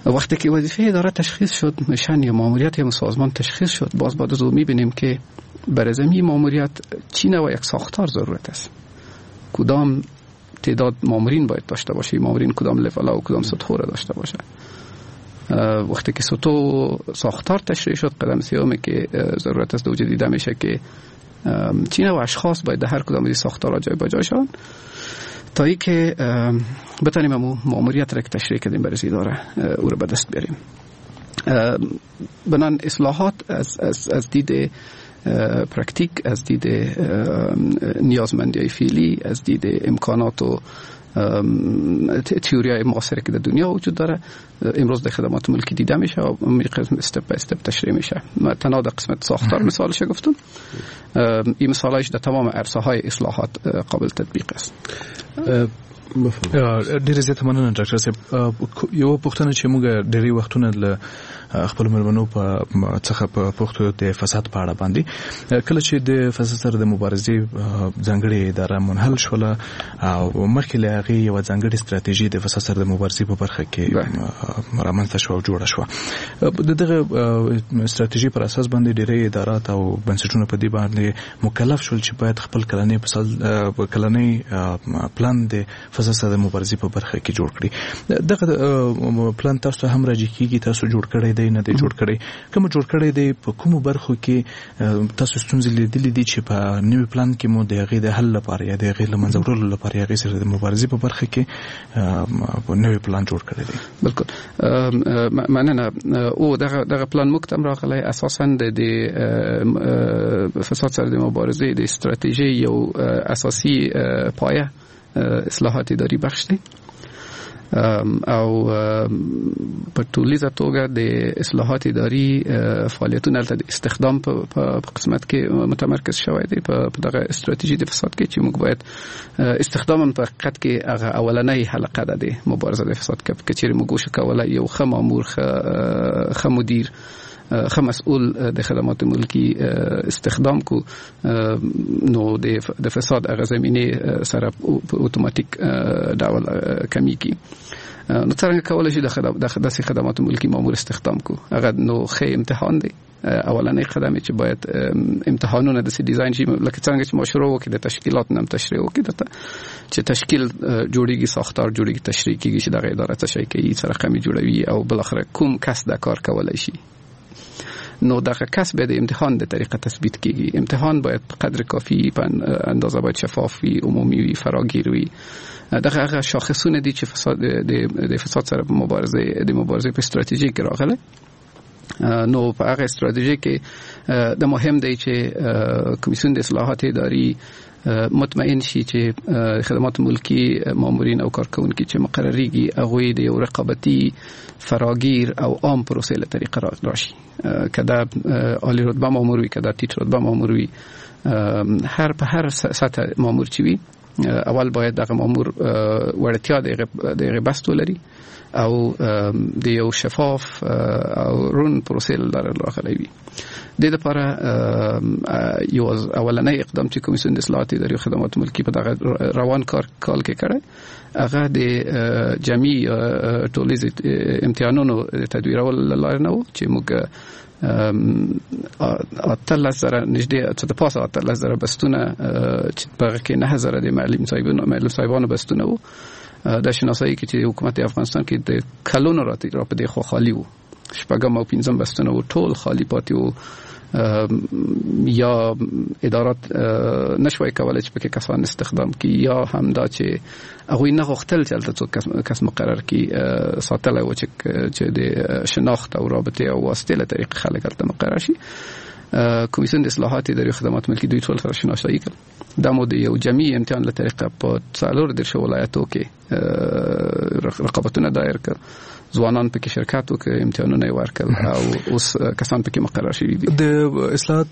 وقتی که وظیفه اداره تشخیص شد، mission یا ماموریت یا سازمان تشخیص شد، باز بعد از او میبینیم که برای زمین ماموریت چی نوع یک ساختار ضرورت است، کدام تعداد مامورین باید داشته باشه، مامورین کدام لول و کدام سطح را داشته باشه. وقتی که سطح ساختار تشریح شد، قدم سومی که ضرورت است وجود دیده میشه که چی نوع اشخاص باید در هر کدام از ساختارها جای به جای شوند تا اینکه بتونیم امو ماموریت را که تشریح کردیم برای اداره او را به دست بیاریم. بنان اصلاحات از دید پرکتیک، از دید نیازمندی فعلی، از دید امکانات و تئوری‌های معاصر که در دنیا وجود داره امروز در خدمات ملکی دیده میشه و قسم step by step تشریح میشه. ما تنها در قسمت ساختار مثالش گفتم، این مثالش در تمام عرصه های اصلاحات قابل تطبیق است. ډېر زیاته مننه ډاکټر صاحب. یو پوښتنه چې موږ ډېری وختونه له خپل مېلمنو په څخه په پوښتو د فساد په اړه باندې، کله چې د فساد سره د مبارزې ځانګړې اداره منحل شوله او مخکې له هغې یوه ځانګړې ستراتیژي د فساد سره د مبارزې په برخه کې رامنځته شوه او جوړه شوه، د دغه ستراتیژي پر اساس باندې ډېری ادارات او بنسټونه په دې باندې مکلف شول چې باید خپل کلنی کلنی پلان د فساد سره د مبارزې په برخه کې جوړ کړي. دغه پلان تاسو هم راجع کیږي، تاسو جوړ کړی دی نه دی جوړ کړی؟ کوم جوړ کړی دی، په کومو برخو کې تاسو ستونزې لیدلې دي چې په نوي پلان کې مو د هغې د حل لپاره یا د هغې له منځه وړلو لپاره یا هغې سره د مبارزې په برخه کې نوی پلان جوړ کړی دی؟ بالکل مننه. او دغه پلان موږ ته هم راغلی اساساً د فساد سره د مبارزې د ستراتیژۍ یو اساسي پایه اصلاحات اداری بخش دی. او په ټولیزه توګه د اصلاحات اداري فعالیتونه د استخدام په قسمت کې متمرکز شوی دی په دغه استراتیژي د فساد کې چې موږ باید استخدام هم په حقیقت کې هغه اولنۍ حلقه ده د مبارزه د فساد کې، که چیرې موږ وشو کولای یو ښه مامور، ښه مدیر، ښه مسؤل د خدمات ملکی استخدام کو، نو د فساد هغه زمینه سره په اتوماتیک ډول کمیږي. نو څنګه کولای شي د داسې خدمات ملکی مامور استخدام کو؟ هغه نو ښه امتحان دی. اولنې قدم چې باید امتحانونه داسې ډیزاین شي لکه څنګه چې ما شروع وکړه د تشکیلات نم تشریح وکړه درته چې تشکیل جوړیږي، ساختار جوړیږي، تشریح کیږي چې دغه اداره څه شی کوي، څه رقم جوړوي او بالاخره کوم کس دا کار کولای شي. نو دغه کس به د امتحان د طریقه تثبیت کیږي. امتحان باید په قدر کافی په اندازه باید شفاف وي، عمومي وي، فراگیر وي. دغه هغه شاخصونه دي چې فساد د فساد سره په مبارزه د مبارزې په استراتیژي کې راغله. نو په هغه استراتیژي کې د مهم دی چې کمیسیون د اصلاحات اداري مطمئن شي چې خدمات ملکی مامورین او کارکونکي چې مقرریږي هغوی د یو رقابتي، فراگیر او عام پروسې له طریقه راشي. که دا عالی رتبه مامور وي، که دا ټیټ رتبه مامور وي، هر په هر سطح مامور چې وي، اول باید دغه مامور وړتیا د هغې بست ولري او د یو شفاف او رون پروسې له لارې راغلی وي. د دې لپاره یو اولنی اقدام چې کمیسیون د اصلاحات اداري خدمات ملکی په دغه روان کال کې کړی، هغه د جمعي ټولیز امتحانونو د تدویرولو له لارې نه و چې موږ 18,000 نږدې څه د پاسه 18,000 بستونه چې په هغه کې 9,000 د معلم صاحبانو بستونه وو، د شناسایی کې چې حکومت افغانستان کې د کلونو را په دې خوا خالی وو، شپږم او پنځم بستونه وو، ټول خالی پاتې وو. یا ادارات نشوای کولای چې پکې کسان استخدام کړي، یا هم دا چې هغوی نه غوښتل چې هلته څوک کس مقرر کړي، ساتلی و چې د شناخت او رابطې او واسطې له طریقې خلک هلته مقرر شي. کمیسیون د اصلاحات اداري خدمات ملکی دوی ټول سره شناسایی کړل. دا مو د یو جمعي امتحان له طریقه په 34 ولایتو کې رقابتونه دایر کړل، ځوانان پکې شرکت وکړ، امتحانونه یې ورکړل او اوس کسان پکې مقرر شوي دي. د اصلاحات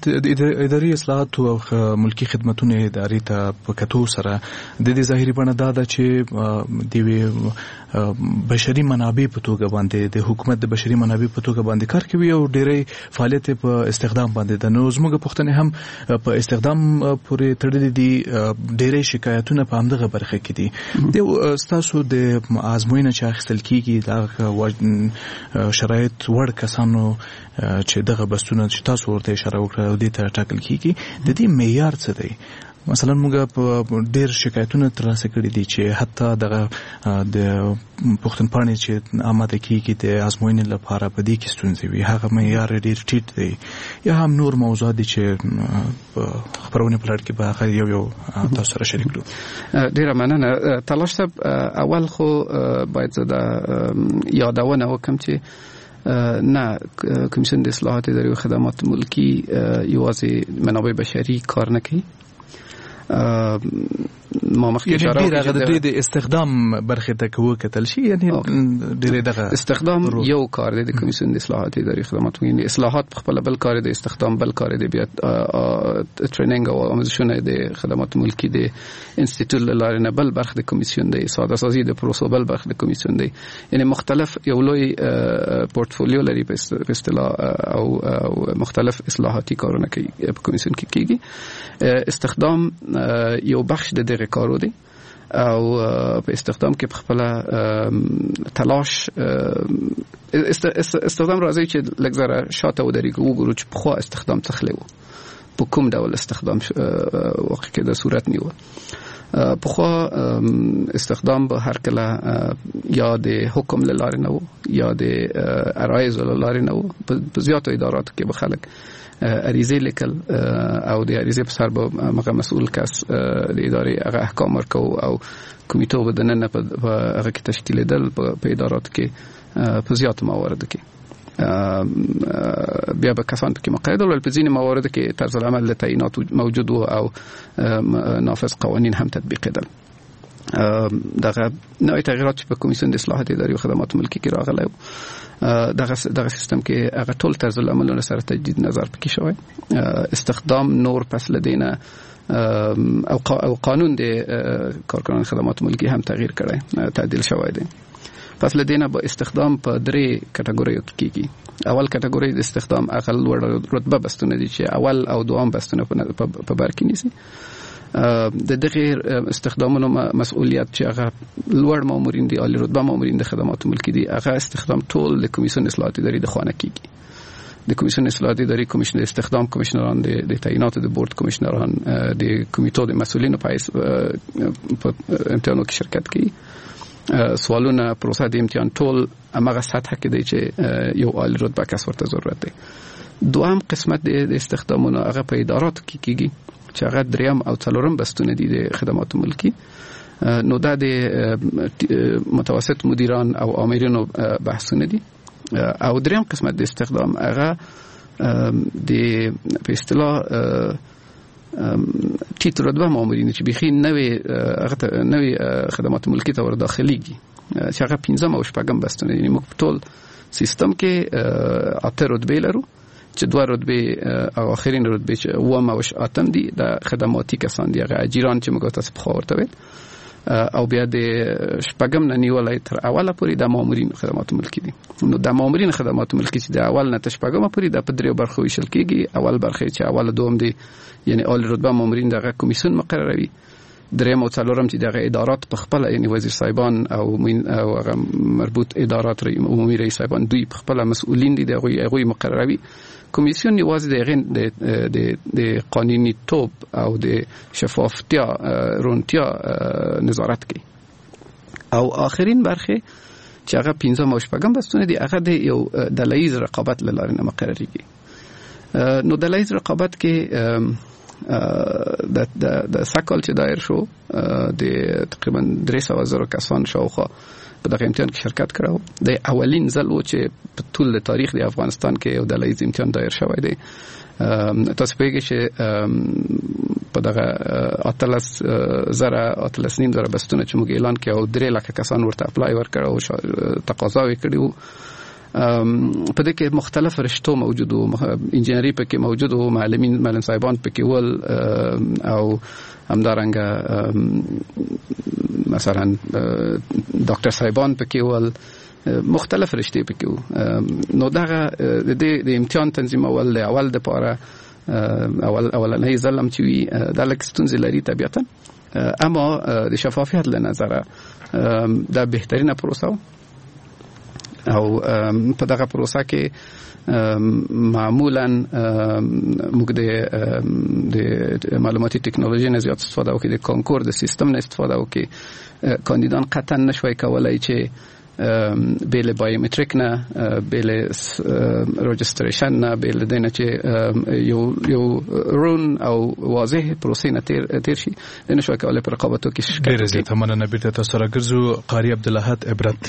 اداري اصلاحات او ملکی خدمتونو ادارې ته په کتو سره د دې ظاهري بڼه دا ده چې د یوې بشري منابع په توګه باندې د حکومت د بشري منابع په توګه باندې کار کوي او ډېری فعالیت په استخدام باندې ده. نو زموږ پوښتنې هم په استخدام پورې تړلې دي، ډېری شکایتونه په همدغه برخه کې دي. د ستاسو د ازموینه چې اخیستل کیږي دا شرایط وړ کسانو چې دغه بستونه چې تاسو ورته اشاره وکړه او دې ته ټاکل کیږي، د دې معیار څه دی؟ مثلا موږ په ډېر شکایتونه ترلاسه کړي دي چې حتی دغه د پوښتنپاڼې چې آماده کیږي د ازموینې لپاره په دې کې ستونزې وي، هغه معیار ډېر ټیټ دی، یا هم نور موضوعات دي چې خپرونې په لړ کې به هغه یو یو تاسو سره شریک کړو. ډېره مننه تلاش صاحب. اول خو باید زه دا یادونه وکړم چې نه کمیسیون د اصلاحات اداري او خدمات ملکی یوازې منابع بشري کار نه کوي. ما مخکې اشاره وکړه هغه د دوی د استخدام برخې ته که وکتل شي، یعنی ډېری دغه استخدام یو کار دی د کمیسیون د اصلاحات اداري خدمات، یعنی اصلاحات په خپله بل کار دی، استخدام بل کار دی، بیا training او آموزشونه د خدمات ملکی د انستیتوت له لارې نه بل برخه د کمیسیون دی، ساده سازي د پروسو بل برخه د کمیسیون دی. یعنی مختلف یو لوی پورتفولیو لري په اصطلاح او مختلف اصلاحاتي کارونه کوي په کمیسیون کې کیږي. استخدام یو بخش د دغه کارو دی او په استخدام کې په خپله تلاش استخدام راځي چې لږ ذره شاته ودرېږو، وګورو چې پخوا استخدام څه خلی و، په کوم ډول استخدام واقع کېده صورت نیوه. پخوا استخدام به هر کله یا د حکم له لارې نه و یا د عرایضو له لارې نه و. په زیاتو اداراتو کې به خلک عریضې لیکل او د عریضې په سر به هغه مسؤل کس د ادارې هغه احکام ورکاو او کمیټو به دننه په هغه کې تشکیلېدل په اداراتو کې په زیاتو مواردو کې بیا به کسان پکې مقرر ول. په ځینې مواردو کې طرز العمل د تعیینات موجود و او نافذ قوانین هم تطبیقېدل. دغه نوې تغیرات چې په کمیسیون د اصلاحات اداري او خدمات ملکي کې راغلی دغه سیستم کې هغه ټول طرز العملونه سره تجدید نظر پکې شوی. استخدام نور پس له دینه او قانون د کارکنان خدمات ملکی هم تغییر کړی، تعدیل شوی دی. پس له دینه با استخدام په درې کټګوریو کې کیږي. اول کټګوري د استخدام هغه لوړ رتبه بستونه دي چې اول او دوام بستونه په بر کې نیسي. د دغه استخدامونو مسؤلیت چې هغه لوړ مامورین دي، عالی رتبه مامورین د خدمات ملکی دي، هغه استخدام ټول د کمیسیون اصلاحات اداري د خوانه کیږي. د کمیسیون اصلاحات اداري کمیشن استخدام کمیشنران، د تعینات د بورډ کمیشنران، د کمیټو د مسؤلینو په امتحانو کې شرکت کوي. سوالونه، پروسه د امتحان ټول همغه سطح کې دی چې یو عالی رتبه کس ورته ضرورت دی. دوهم قسمت د استخدامونو هغه په اداراتو کې کیږي چې هغه دریم او څلورم بستونه دي د خدمات ملکی. نو دا د متوسط مدیران او آمرینو بحثونه دي. او دریم قسمت د استخدام هغه د په اصطلاح ټیټ رتبه مامورین چې بیخي نوې هغه نوې خدمات ملکی ته ور داخليږي چې هغه پنځم او شپږم بستونه دي. موږ په ټول سیستم کې اته رتبې لرو چې دوه رتبې او آخرین رتبې چې اووم او اتم دي د خدماتي کسان دي، هغه اجیران چې موږ تاسو په خوا ورته ویل، او بیا د شپږم نه نیولای تر اوله پورې د مامورین خدمات ملکی دي. نو د مامورین خدمات ملکی چې د اول نه تر شپږمه پورې د په دریو برخو ویشل کیږي. اول برخه چې اول دوم دي یعنی عالی رتبه مامورین دغه کمیسیون مقرروي، دریم او څلورم چې دغه ادارات په خپل یعنی وزیر صاحبان او هغه مربوط ادارات عمومي رئیس صاحبان دوی په خپل مسؤلین دي، دغه هغوی مقرروي. کمیسیون یوازې د هغې د قانوني توب او د شفافتیا رونتیا نظارت کوي. او آخرین برخه چې هغه پنځم او شپږم بستونه دي هغه د یو ډله ییز رقابت له لارې نه مقرریږي. نو ډله ییز رقابت کې د سکال چې دایر شو د تقریبا 300,000 کسان شاوخوا په دغه امتحان کې شرکت کړو. د اولین ځل و چې په ټول تاریخ د افغانستان کې یو ډله ییز امتحان دایر شوی دی. تاسو پوهیږئ چې په دغه 18,500 بستونه چې موږ اعلان کړ او 3 لکه کسان ورته اپلای ورکړ او تقاضا یې کړې وو، په دې کې مختلف رشتو موجود وو، انجینری پکې موجود وو، معلمین معلم صاحبان پکې ول، او همدارنګه مثلا ډاکټر صاحبان پکې ول، مختلف رشتې پکې وو. نو دغه د امتحان تنظیمول د اول د پاره اولنۍ ځل هم چې وي دا لږ ستونزې لري طبیعتا، اما د شفافیت له نظره دا بهترینه پروسه وه. او په دغه پروسه کې معمولا موږ د معلوماتي ټکنالوژي نه زیات استفاده وکړو، د کانکور د سیستم نه استفاده وکړو. کاندیدان قطعا نشوي کولای چې بې له بایومتریک نه، بې له رجستریشن نه، بې له دې نه چې یو رون او واضح پروسې نه تیر شي، نشوي کولای په رقابتو کې شرکت. ډېره زیاته مننه. بیرته تاسو سره ګرځو. قاري عبدالاحد عبرت،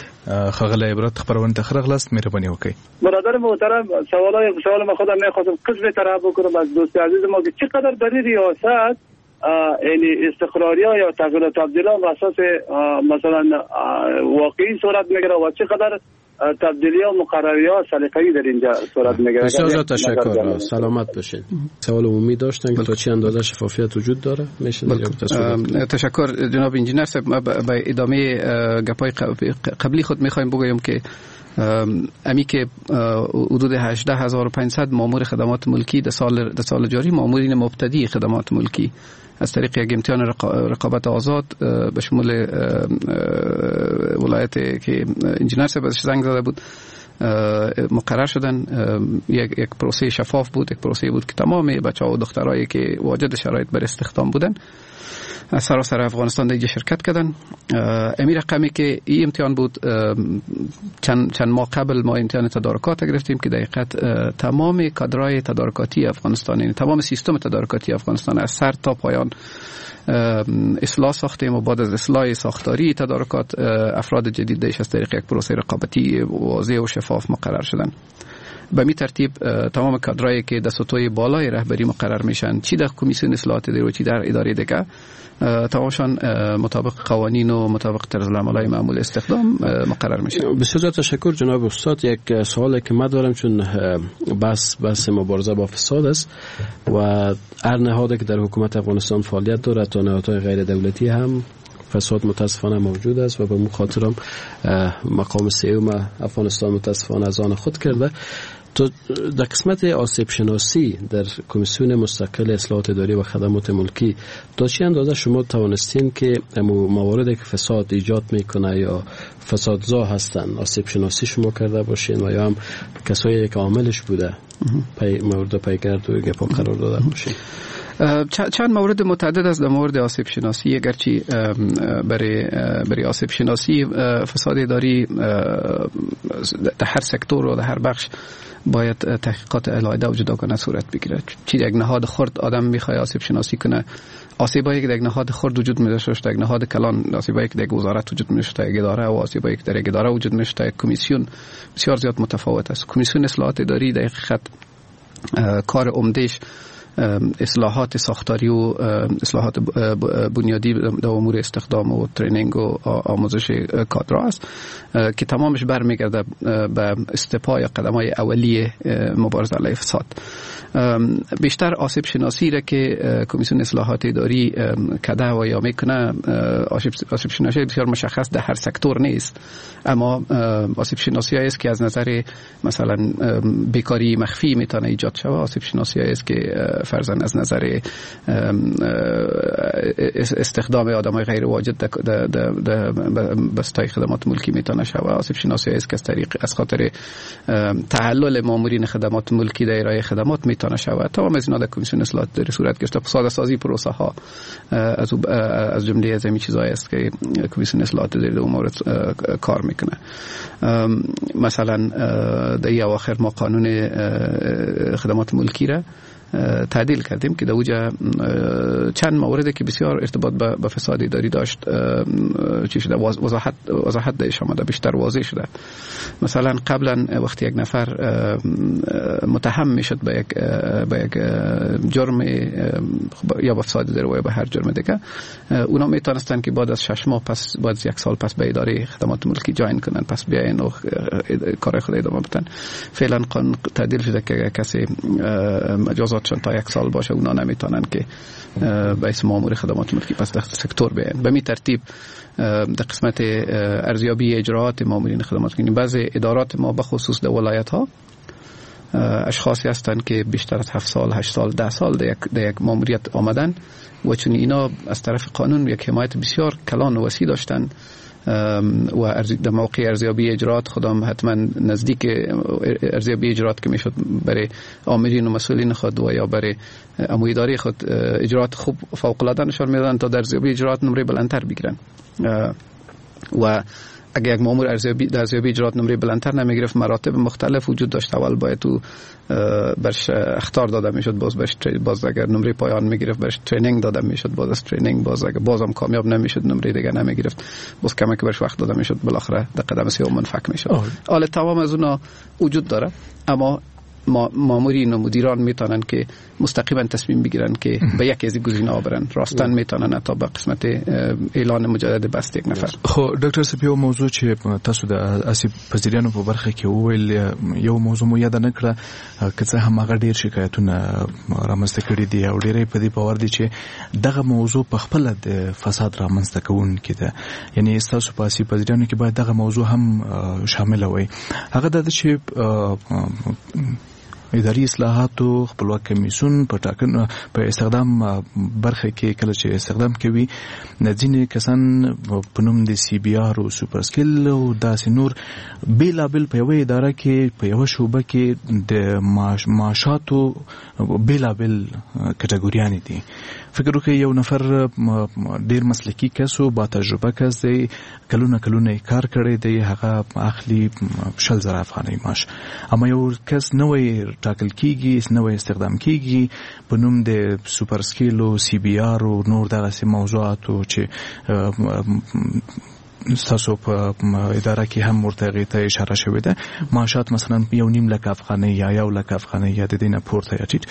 ښاغلی عبرت خپرونې ته ښه راغلاست، مهرباني وکړئ. برادر محترم، سوال ما خودم میخواستم قسم طرح بکنم از دوست عزیز ما که چقدر در ریاست یعنی استقراری یا تغییر و تبدیل بر اساس مثلا واقعی صورت میگیره و چقدر تبدیلی و مقرری ها سلیقه‌ای در اینجا صورت میگیره. بسیار زیاد تشکر، سلامت باشید. سوال عمومی داشتن که تا چه اندازه شفافیت وجود داره؟ میشه تشکر جناب انجینر صاحب. ما به ادامه گپای قبلی خود میخوایم بگویم که امی که حدود 18500 مامور خدمات ملکی در سال جاری، مامورین مبتدی خدمات ملکی از طریق یک امتحان رقابت آزاد به شمول ولایت که انجینر صاحب ازش زنگ زده بود مقرر شدن. یک پروسه شفاف بود، یک پروسه بود که تمام بچه‌ها و دخترایی که واجد شرایط بر استخدام بودن از سراسر افغانستان دیگه شرکت کردن. امی رقمی که این امتحان بود، چند ماه قبل ما امتحان تدارکات گرفتیم که دقیقاً تمام کادرهای تدارکاتی افغانستان، یعنی تمام سیستم تدارکاتی افغانستان از سر تا پایان اصلاح ساختیم و بعد از اصلاح ساختاری تدارکات افراد جدید دیش از طریق یک پروسه رقابتی واضح و شفاف مقرر شدن. به می ترتیب تمام کادرایی که در سطوح بالای رهبری مقرر میشن، چی در کمیسیون اصلاحات اداری و چی در اداره دیگه، تمامشان مطابق قوانین و مطابق طرز العمل‌های معمول استخدام مقرر میشن. بسیار تشکر جناب استاد. یک سوالی که من دارم، چون بس مبارزه با فساد است و هر نهادی که در حکومت افغانستان فعالیت دارد تا نهادهای غیر دولتی هم فساد متاسفانه موجود است و به مو خاطرم مقام سوم افغانستان متاسفانه از آن خود کرده. تو در قسمت آسیب شناسی در کمیسیون مستقل اصلاحات اداری و خدمات ملکی تا چه اندازه شما توانستین که مواردی که فساد ایجاد میکنه یا فسادزا هستن آسیب شناسی شما کرده باشین و یا هم کسایی که عاملش بوده مورد پیگرد و گپا قرار داده باشین؟ چند مورد متعدد است در مورد آسیب شناسی. اگرچه برای آسیب شناسی فساد اداری در هر سکتور و در هر بخش باید تحقیقات علاوه و جداگانه صورت بگیره. چی یک نهاد خرد آدم میخواد آسیب شناسی کنه، آسیبایی که در یک نهاد خرد وجود می‌داشت در یک نهاد کلان، آسیبایی که در یک وزارت وجود می‌داشت در یک اداره و آسیبایی که در یک اداره وجود می‌داشت در یک کمیسیون بسیار زیاد متفاوت است. کمیسیون اصلاحات اداری در حقیقت کار عمده‌اش اصلاحات ساختاری و اصلاحات بنیادی در امور استخدام و training و آموزش کادرها است که تمامش برمیگرده به step ا یا قدم‌های اولیه مبارزه علیه فساد. بیشتر آسیب شناسی را که کمیسیون اصلاحات اداری کده و یا میکنه، آسیب شناسی بسیار مشخص در هر سکتور نیست، اما آسیب شناسی است که از نظر مثلا بیکاری مخفی میتونه ایجاد شود، آسیب شناسی است که فرضاً از نظر استخدام آدمای غیر واجد در بستای خدمات ملکی میتونه شود، آسیب شناسی است که از طریق از خاطر تعلل مامورین خدمات ملکی در ارائه خدمات میتونه شود. تمام از اینا در کمیسیون اصلاحات اداری صورت گرفته. ساده سازی پروسه ها از جمله از این چیزایی است که کمیسیون اصلاحات اداری در اون مورد کار میکنه. مثلا در این اواخر ما قانون خدمات ملکی را تعدیل کردیم که در اوجه چند مورد که بسیار ارتباط به فساد اداری داشت چی شده، وضاحت درش آمده، بیشتر واضح شده. مثلا قبلا وقتی یک نفر متهم میشد به یک جرم یا به فساد اداری یا به هر جرم دیگه، اونا میتونستن که بعد از 6 ماه پس، بعد از 1 سال پس به اداره خدمات ملکی join کنن، پس بیاین و کار خود ادامه بدن. فعلا قانون تعدیل شده که کسی مجازات تا 1 سال باشه اونا نمیتونن که به اسم مامور خدمات ملکی پس در سکتور بیان. به می ترتیب در قسمت ارزیابی اجراعات مامورین خدمات ملکی، بعضی ادارات ما به خصوص در ولایت ها اشخاصی هستند که بیشتر از 7 سال، 8 سال، 10 سال در یک ماموریت آمدن و چون اینا از طرف قانون یک حمایت بسیار کلان و وسیع داشتن و در موقع ارزیابی اجراعات خودم حتما نزدیک ارزیابی اجراعات که میشد برای آمرین و مسئولین خود و یا برای امو اداره خود اجراعات خوب فوق العاده نشان میدادن تا در ارزیابی اجراعات نمره بلندتر بگیرن. و اگه یک مامور در ارزیابی اجراعات نمره بلندتر نمیگرفت، مراتب مختلف وجود داشت. اول باید تو برش اخطار داده میشد، باز اگر نمره پایان میگرفت برش training داده میشد، باز از training باز اگر بازم کامیاب نمیشد نمره دیگه نمیگرفت، باز کمک برش وقت داده میشد، بالاخره در قدم سوم منفک میشد. حالا تمام از اونا وجود داره، اما مامورین و مدیران میتونن که مستقیما تصمیم بگیرن که به یکی از گزینه‌ها برن. راستن میتونن تا به قسمت اعلان مجدد بست یک نفر. خو ډاکټر صاحب، یو موضوع چې تاسو د آسیب پذیریانو په برخه کې وویل، یو موضوع مو یاد نه کړه، که څه هم هغه ډیر شکایتونه رامنځته کړي دي او ډیری په دې باور دي چې دغه موضوع په خپله د فساد رامنځته کوونکې ده، یعنی ستاسو په آسیب پذیریانو کې باید دغه موضوع هم شامله وي. هغه دا چې اداري اصلاحاتو خپلواک کمیسیون په ټاکنو په استخدام برخه کې کله چې استخدام کوي، ځینې کسان په نوم د سی بي آر او super scale او داسې نور بېلابېل په یوه اداره کې په یوه شعبه کې د معاشاتو بېلابېل کټګوریانې دي. فکر وکړئ یو نفر ډیر مسلکي کس او با تجربه کس دی، کلونه کلونه یې کار کړی دی، هغه اخلي 20,000 افغانۍ معاش، اما یو کس نوی ټاکل کیږي، نوی استخدام کیږي په نوم د super scale او سی بي آر او نور دغسې موضوعاتو چې ستاسو په اداره کې هم ورته هغې ته اشاره شوې ده، معاشات مثلا 1.5 لک افغانۍ یا 1 لک افغانۍ یا د دې نه پورته یا ټیټ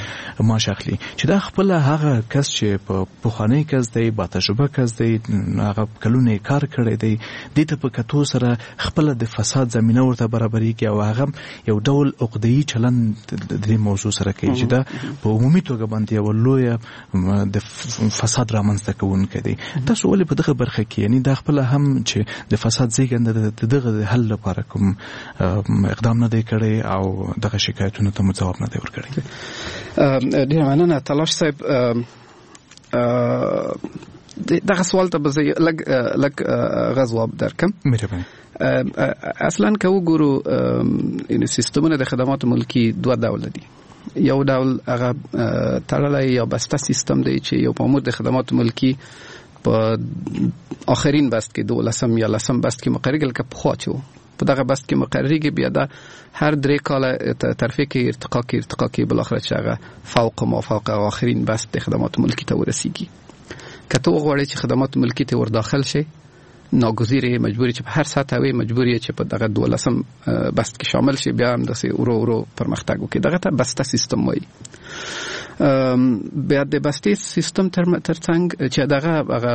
معاش اخلي، چې دا خپله هغه کس چې په پخوانی کس دی، با تجربه کس دی، هغه کلونه یې کار کړی دی، دې ته په کتو سره خپله د فساد زمینه ورته برابریږي او هغه یو ډول عقدهیي چلند د دې موضوع سره کوي چې دا په عمومي توګه باندې یوه لویه د فساد رامنځته کوونکی دی. تاسو ولې په دغه برخه کې، یعنی دا خپله هم چې د فساد زیږنده ده، د دغه د حل لپاره کوم اقدام نه دی کړی او دغه شکایتونو ته مو ځواب نه دی ورکړی؟ ډېره مننه تلاش صاحب. دغه سوال ته به زه لږ لږ هغه ځواب درکړم. مهرباني. اصلا که وګورو یعنی سیستمونه د خدماتو ملکی دوه ډوله دي. یو ډول هغه تړلی یا بسته سیستم دی چې یو مامور د خدماتو ملکی په آخرین بست کې، 12 یا 10 بست کې مقررېږي، لکه پخوا چې و په دغه بست کې مقررېږي، بیا دا هر 3 کاله ترفیع کوي، ارتقا کوي، ارتقا کوي، بالاخره چې هغه فوق ما فوق آخرین بست د خدماتو ملکی ته ورسیږي. که ته وغواړې چې خدمات ملکی ته ورداخل شې، ناگزیر یې، مجبور یې چې په هر سطح وي، مجبور یې چې په دغه 12 بست کې شامل شي، بیا هم داسې ورو ورو پرمختګ وکړي. دغه ته بسته سیستم وایي. بیا د بستې سیستم ترڅنګ چې دغه هغه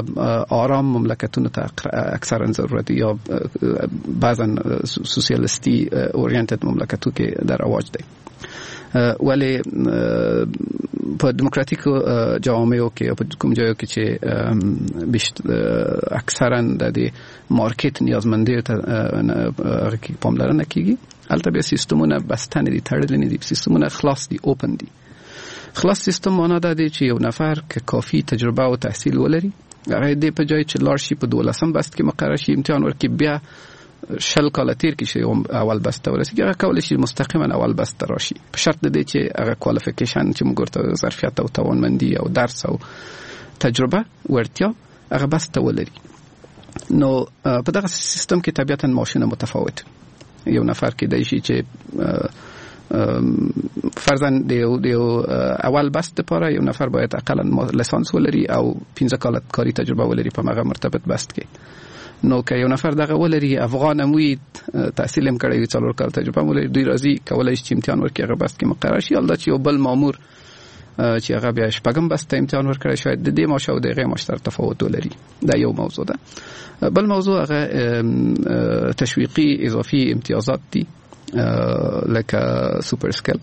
آرام مملکتونو ته اکثرا ضرورت دی یا بعضا سوسیالیستی اورینتد مملکتو کې در رواج دی، ولی په دموکراتیکو جوامعو کې یا په کوم ځایو کې چې اکثرا د دې مارکیټ نیازمندیو ته هغه کې پاملرنه کیږي، هلته بیا سیستمونه بسته نه دي، تړلي نه دي، سیستمونه خلاص دي، اوپن دي. خلاص سیستم معنا دا دی چې یو نفر که کافي تجربه او تحصیل ولري، هغه دې په جای چې لاړ شي په 12 بست کې مقرر شي، امتحان ورکړي، بیا 20 کاله تیر کړي چې اول بست ته ورسیږي، هغه کولی شي مستقیما اول بست ته راشي، په شرط د دې چې هغه کوالیفیکیشن چې موږ ورته ظرفیت او توانمندي او درس او تجربه وړتیا هغه بست ته ولري. نو په دغه سیستم کې طبیعتاً معاشونه متفاوت. یو نفر کېدای شي چې فرضاً د یو اول بست لپاره یو نفر باید اقلاً لیسانس ولري او 5 کاله کاري تجربه ولري په هغه مرتبط بست کې. نو که یو نفر دغه ولري، افغان هم وي، تحصیل هم کړی وي، 4 کاله تجربه هم ولري، دوی راځي کولی شي چې امتحان ورکړي، هغه بست کې مقرر شي. حال دا چې یو بل مامور چې هغه بیا 6 بست ته امتحان ورکړي، شاید د دې معاش او د هغې معاش سره تفاوت ولري. دا یو موضوع ده. بل موضوع هغه تشویقي اضافي امتیازات دي، لکه سوپر سکیل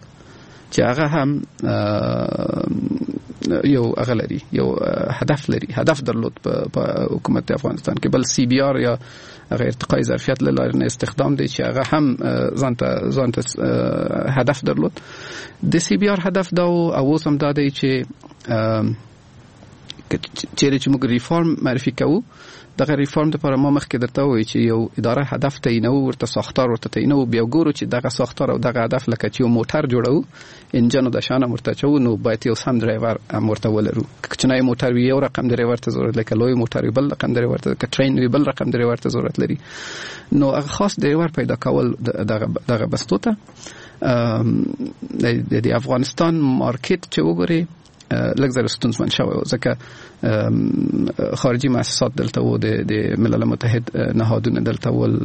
چې هغه هم یو هغه لري، یو هدف لري، هدف درلود په حکومت افغانستان کې. بل سی بي آر یا هغه ارتقای ظرفیت له لارې نه استخدام دی چې هغه هم ځان ته هدف درلود. د سی بي آر هدف دا و او اوس هم دا دی چې چیرې چې موږ ریفارم معرفي کوو، دغه ریفارم لپاره ما مخکې درته وویل چې یو اداره هدف تعینوو، ورته ساختار ورته تعینوو، بیا ګورو چې دغه ساختار او دغه هدف لکه چې یو موټر جوړوو، انجن او د شان هم ورته اچوو، نو باید یو سم ډرایور هم ورته ولرو. که کوچنی موټر وي یو رقم ډرایور ته ضرورت لري، که لوی موټر وي بل رقم ډرایور ته، که ټرین وي بل رقم ډرایور ته ضرورت لري. نو هغه خاص ډرایور پیدا کول دغه بستو ته. د افغانستان مارکیټ چې وګوري لږ زره ستونزمن شوی و، ځکه خارجي مؤسسات دلته وو، د ملل متحد نهادونه دلته ول،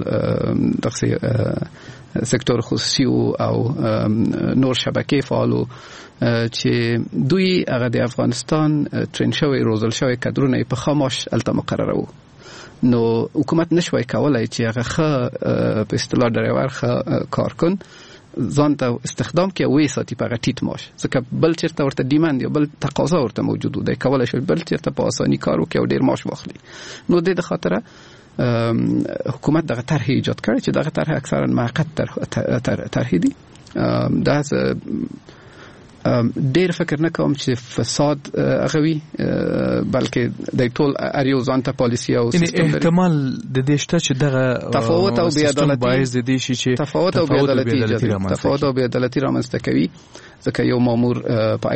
دغسې سکتور خصوصي وو او نور شبکې فعال وو، چې دوی هغه د افغانستان ترین شوی روزل شوی کدرونه یې په ښه معاش هلته مقرروو. نو حکومت نشوای کولای چې هغه ښه په اصطلاح ډرایور، ښه کارکن ځان ته استخدام کړي او ویې ساتي په هغه ټیټ معاش، ځکه بل چېرته ورته ډیماند یا بل تقاضا ورته موجود و، دی کولی شي بل چېرته په اساني کار وکړي او ډېر معاش واخلي. نو دې د خاطره حکومت دغه طرحې ایجاد کړې چې دغه طرحه اکثرا موقت طرحې دي. دا ډیر فکر نه کوم چې فساد هغه وي، بلکې د ټول هر یو ځان ته پالیسي او سیستم لري. احتمال د دې شته چې دغه تفاوت او بی‌عدالتي باعث د دې شي چې تفاوت او تفاوت او بی‌عدالتي رامنځته کوي، ځکه یو مامور په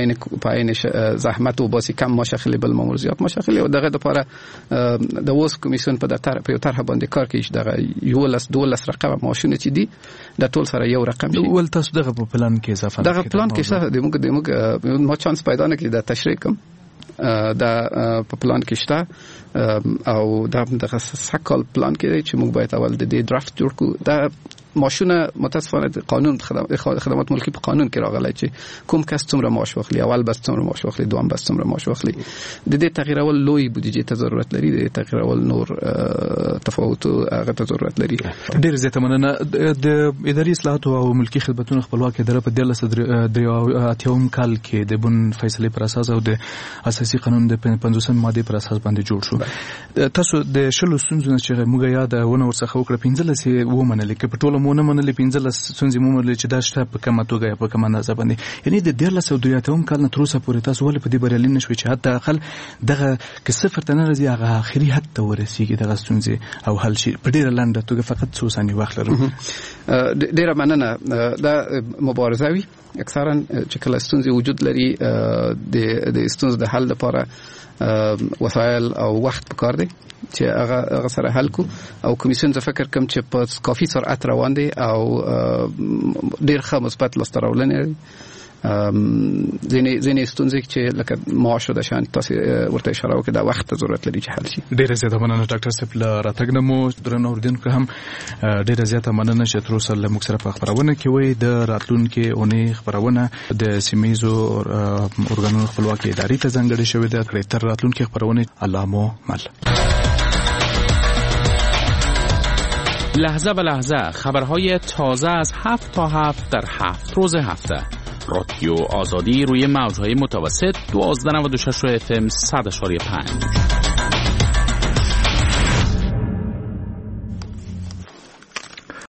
عین زحمت وباسي کم معاش اخلي، بل مامور زیات معاش اخلي. او دغه لپاره د اوس کمیسیون په دفتر په یو طرح باندې کار کوي چې دغه 11 12 رقم معاشونه چې دي د ټول سره یو رقم شي. ول تاسو دغه په پلان کې اضافه دغه پلان کې شته، د موږ ما چانس پیدا نه کړ دا تشریح کوم. دا په پلان کې شته او دا دغه سږکال پلان کې دی چې موږ باید اول د دې درافت جوړ کړو. دا معاشونه متاسفانه د قانون خدمات ملکی په قانون کې راغلی چې کوم کس څومره معاش واخلي، اول بس څومره معاش واخلي، دوم بس څومره معاش واخلي. د دې تغیرول لوی بودیجې ته ضرورت لري، د دې تغیرول نور تفاوت هغه ته ضرورت لري. ډیر زیاته مننه. د اداري اصلاحاتو او ملکی خدمتونو خپلواک اداره په 1383 کال کې د بن فیصلې پر اساس او د اساسي قانون د 50 مادې پر اساس باندې جوړ شو. تاسو د شلو ستونزو نه چې موږ یادونه ورڅخه وکړه 15 یې ومنلې، که په ټوله مو نه منلې 15 ستونزې مو منلې چې دا شته په کومه توګه یا په کومه اندازه باندې، یعنی د 1383 کال نه تر اوسه پورې تاسو ولې په دې بریالي نه شوئ چې حتی اقل دغه که صفر ته نه راځي هغه آخري حد ته ورسیږي دغه ستونزې او حل شي؟ په ډیره لنډه توګه فقط څو ثانیې وخت لرم. ډیره مننه. دا مبارزه وي اکثرا چې کله ستونزې وجود لري د ستونزو د حل لپاره وسایل او وخت پکار دی چې هغه سره حل کو، او کمیسیون زه فکر کوم چې په کافي سرعت روان دی او ډیر ښه مثبت لاسته راوړنې لري. ځینې ستونزې چې لکه معاش او د شان تاسو ورته اشاره وکړه دا وخت ته ضرورت لري چې حل شي. ډیره زیاته مننه ډاکټر صاحب له راتګ نه مو. درنو اورېدونکو هم ډیره زیاته مننه چې تر اوسه له موږ سره په خپرونه کې وئ. د راتلونکې اونۍ خپرونه د سیمه ییزو ارګانونو خپلواکې ادارې ته ځانګړې شوې ده. تر راتلونکې خپرونې الله مو مل. لحظه به لحظه خبرهای تازه از 7 تا 7 در 7 روز هفته. رادیو آزادی روی موج‌های متوسط 1296 FM 100.5.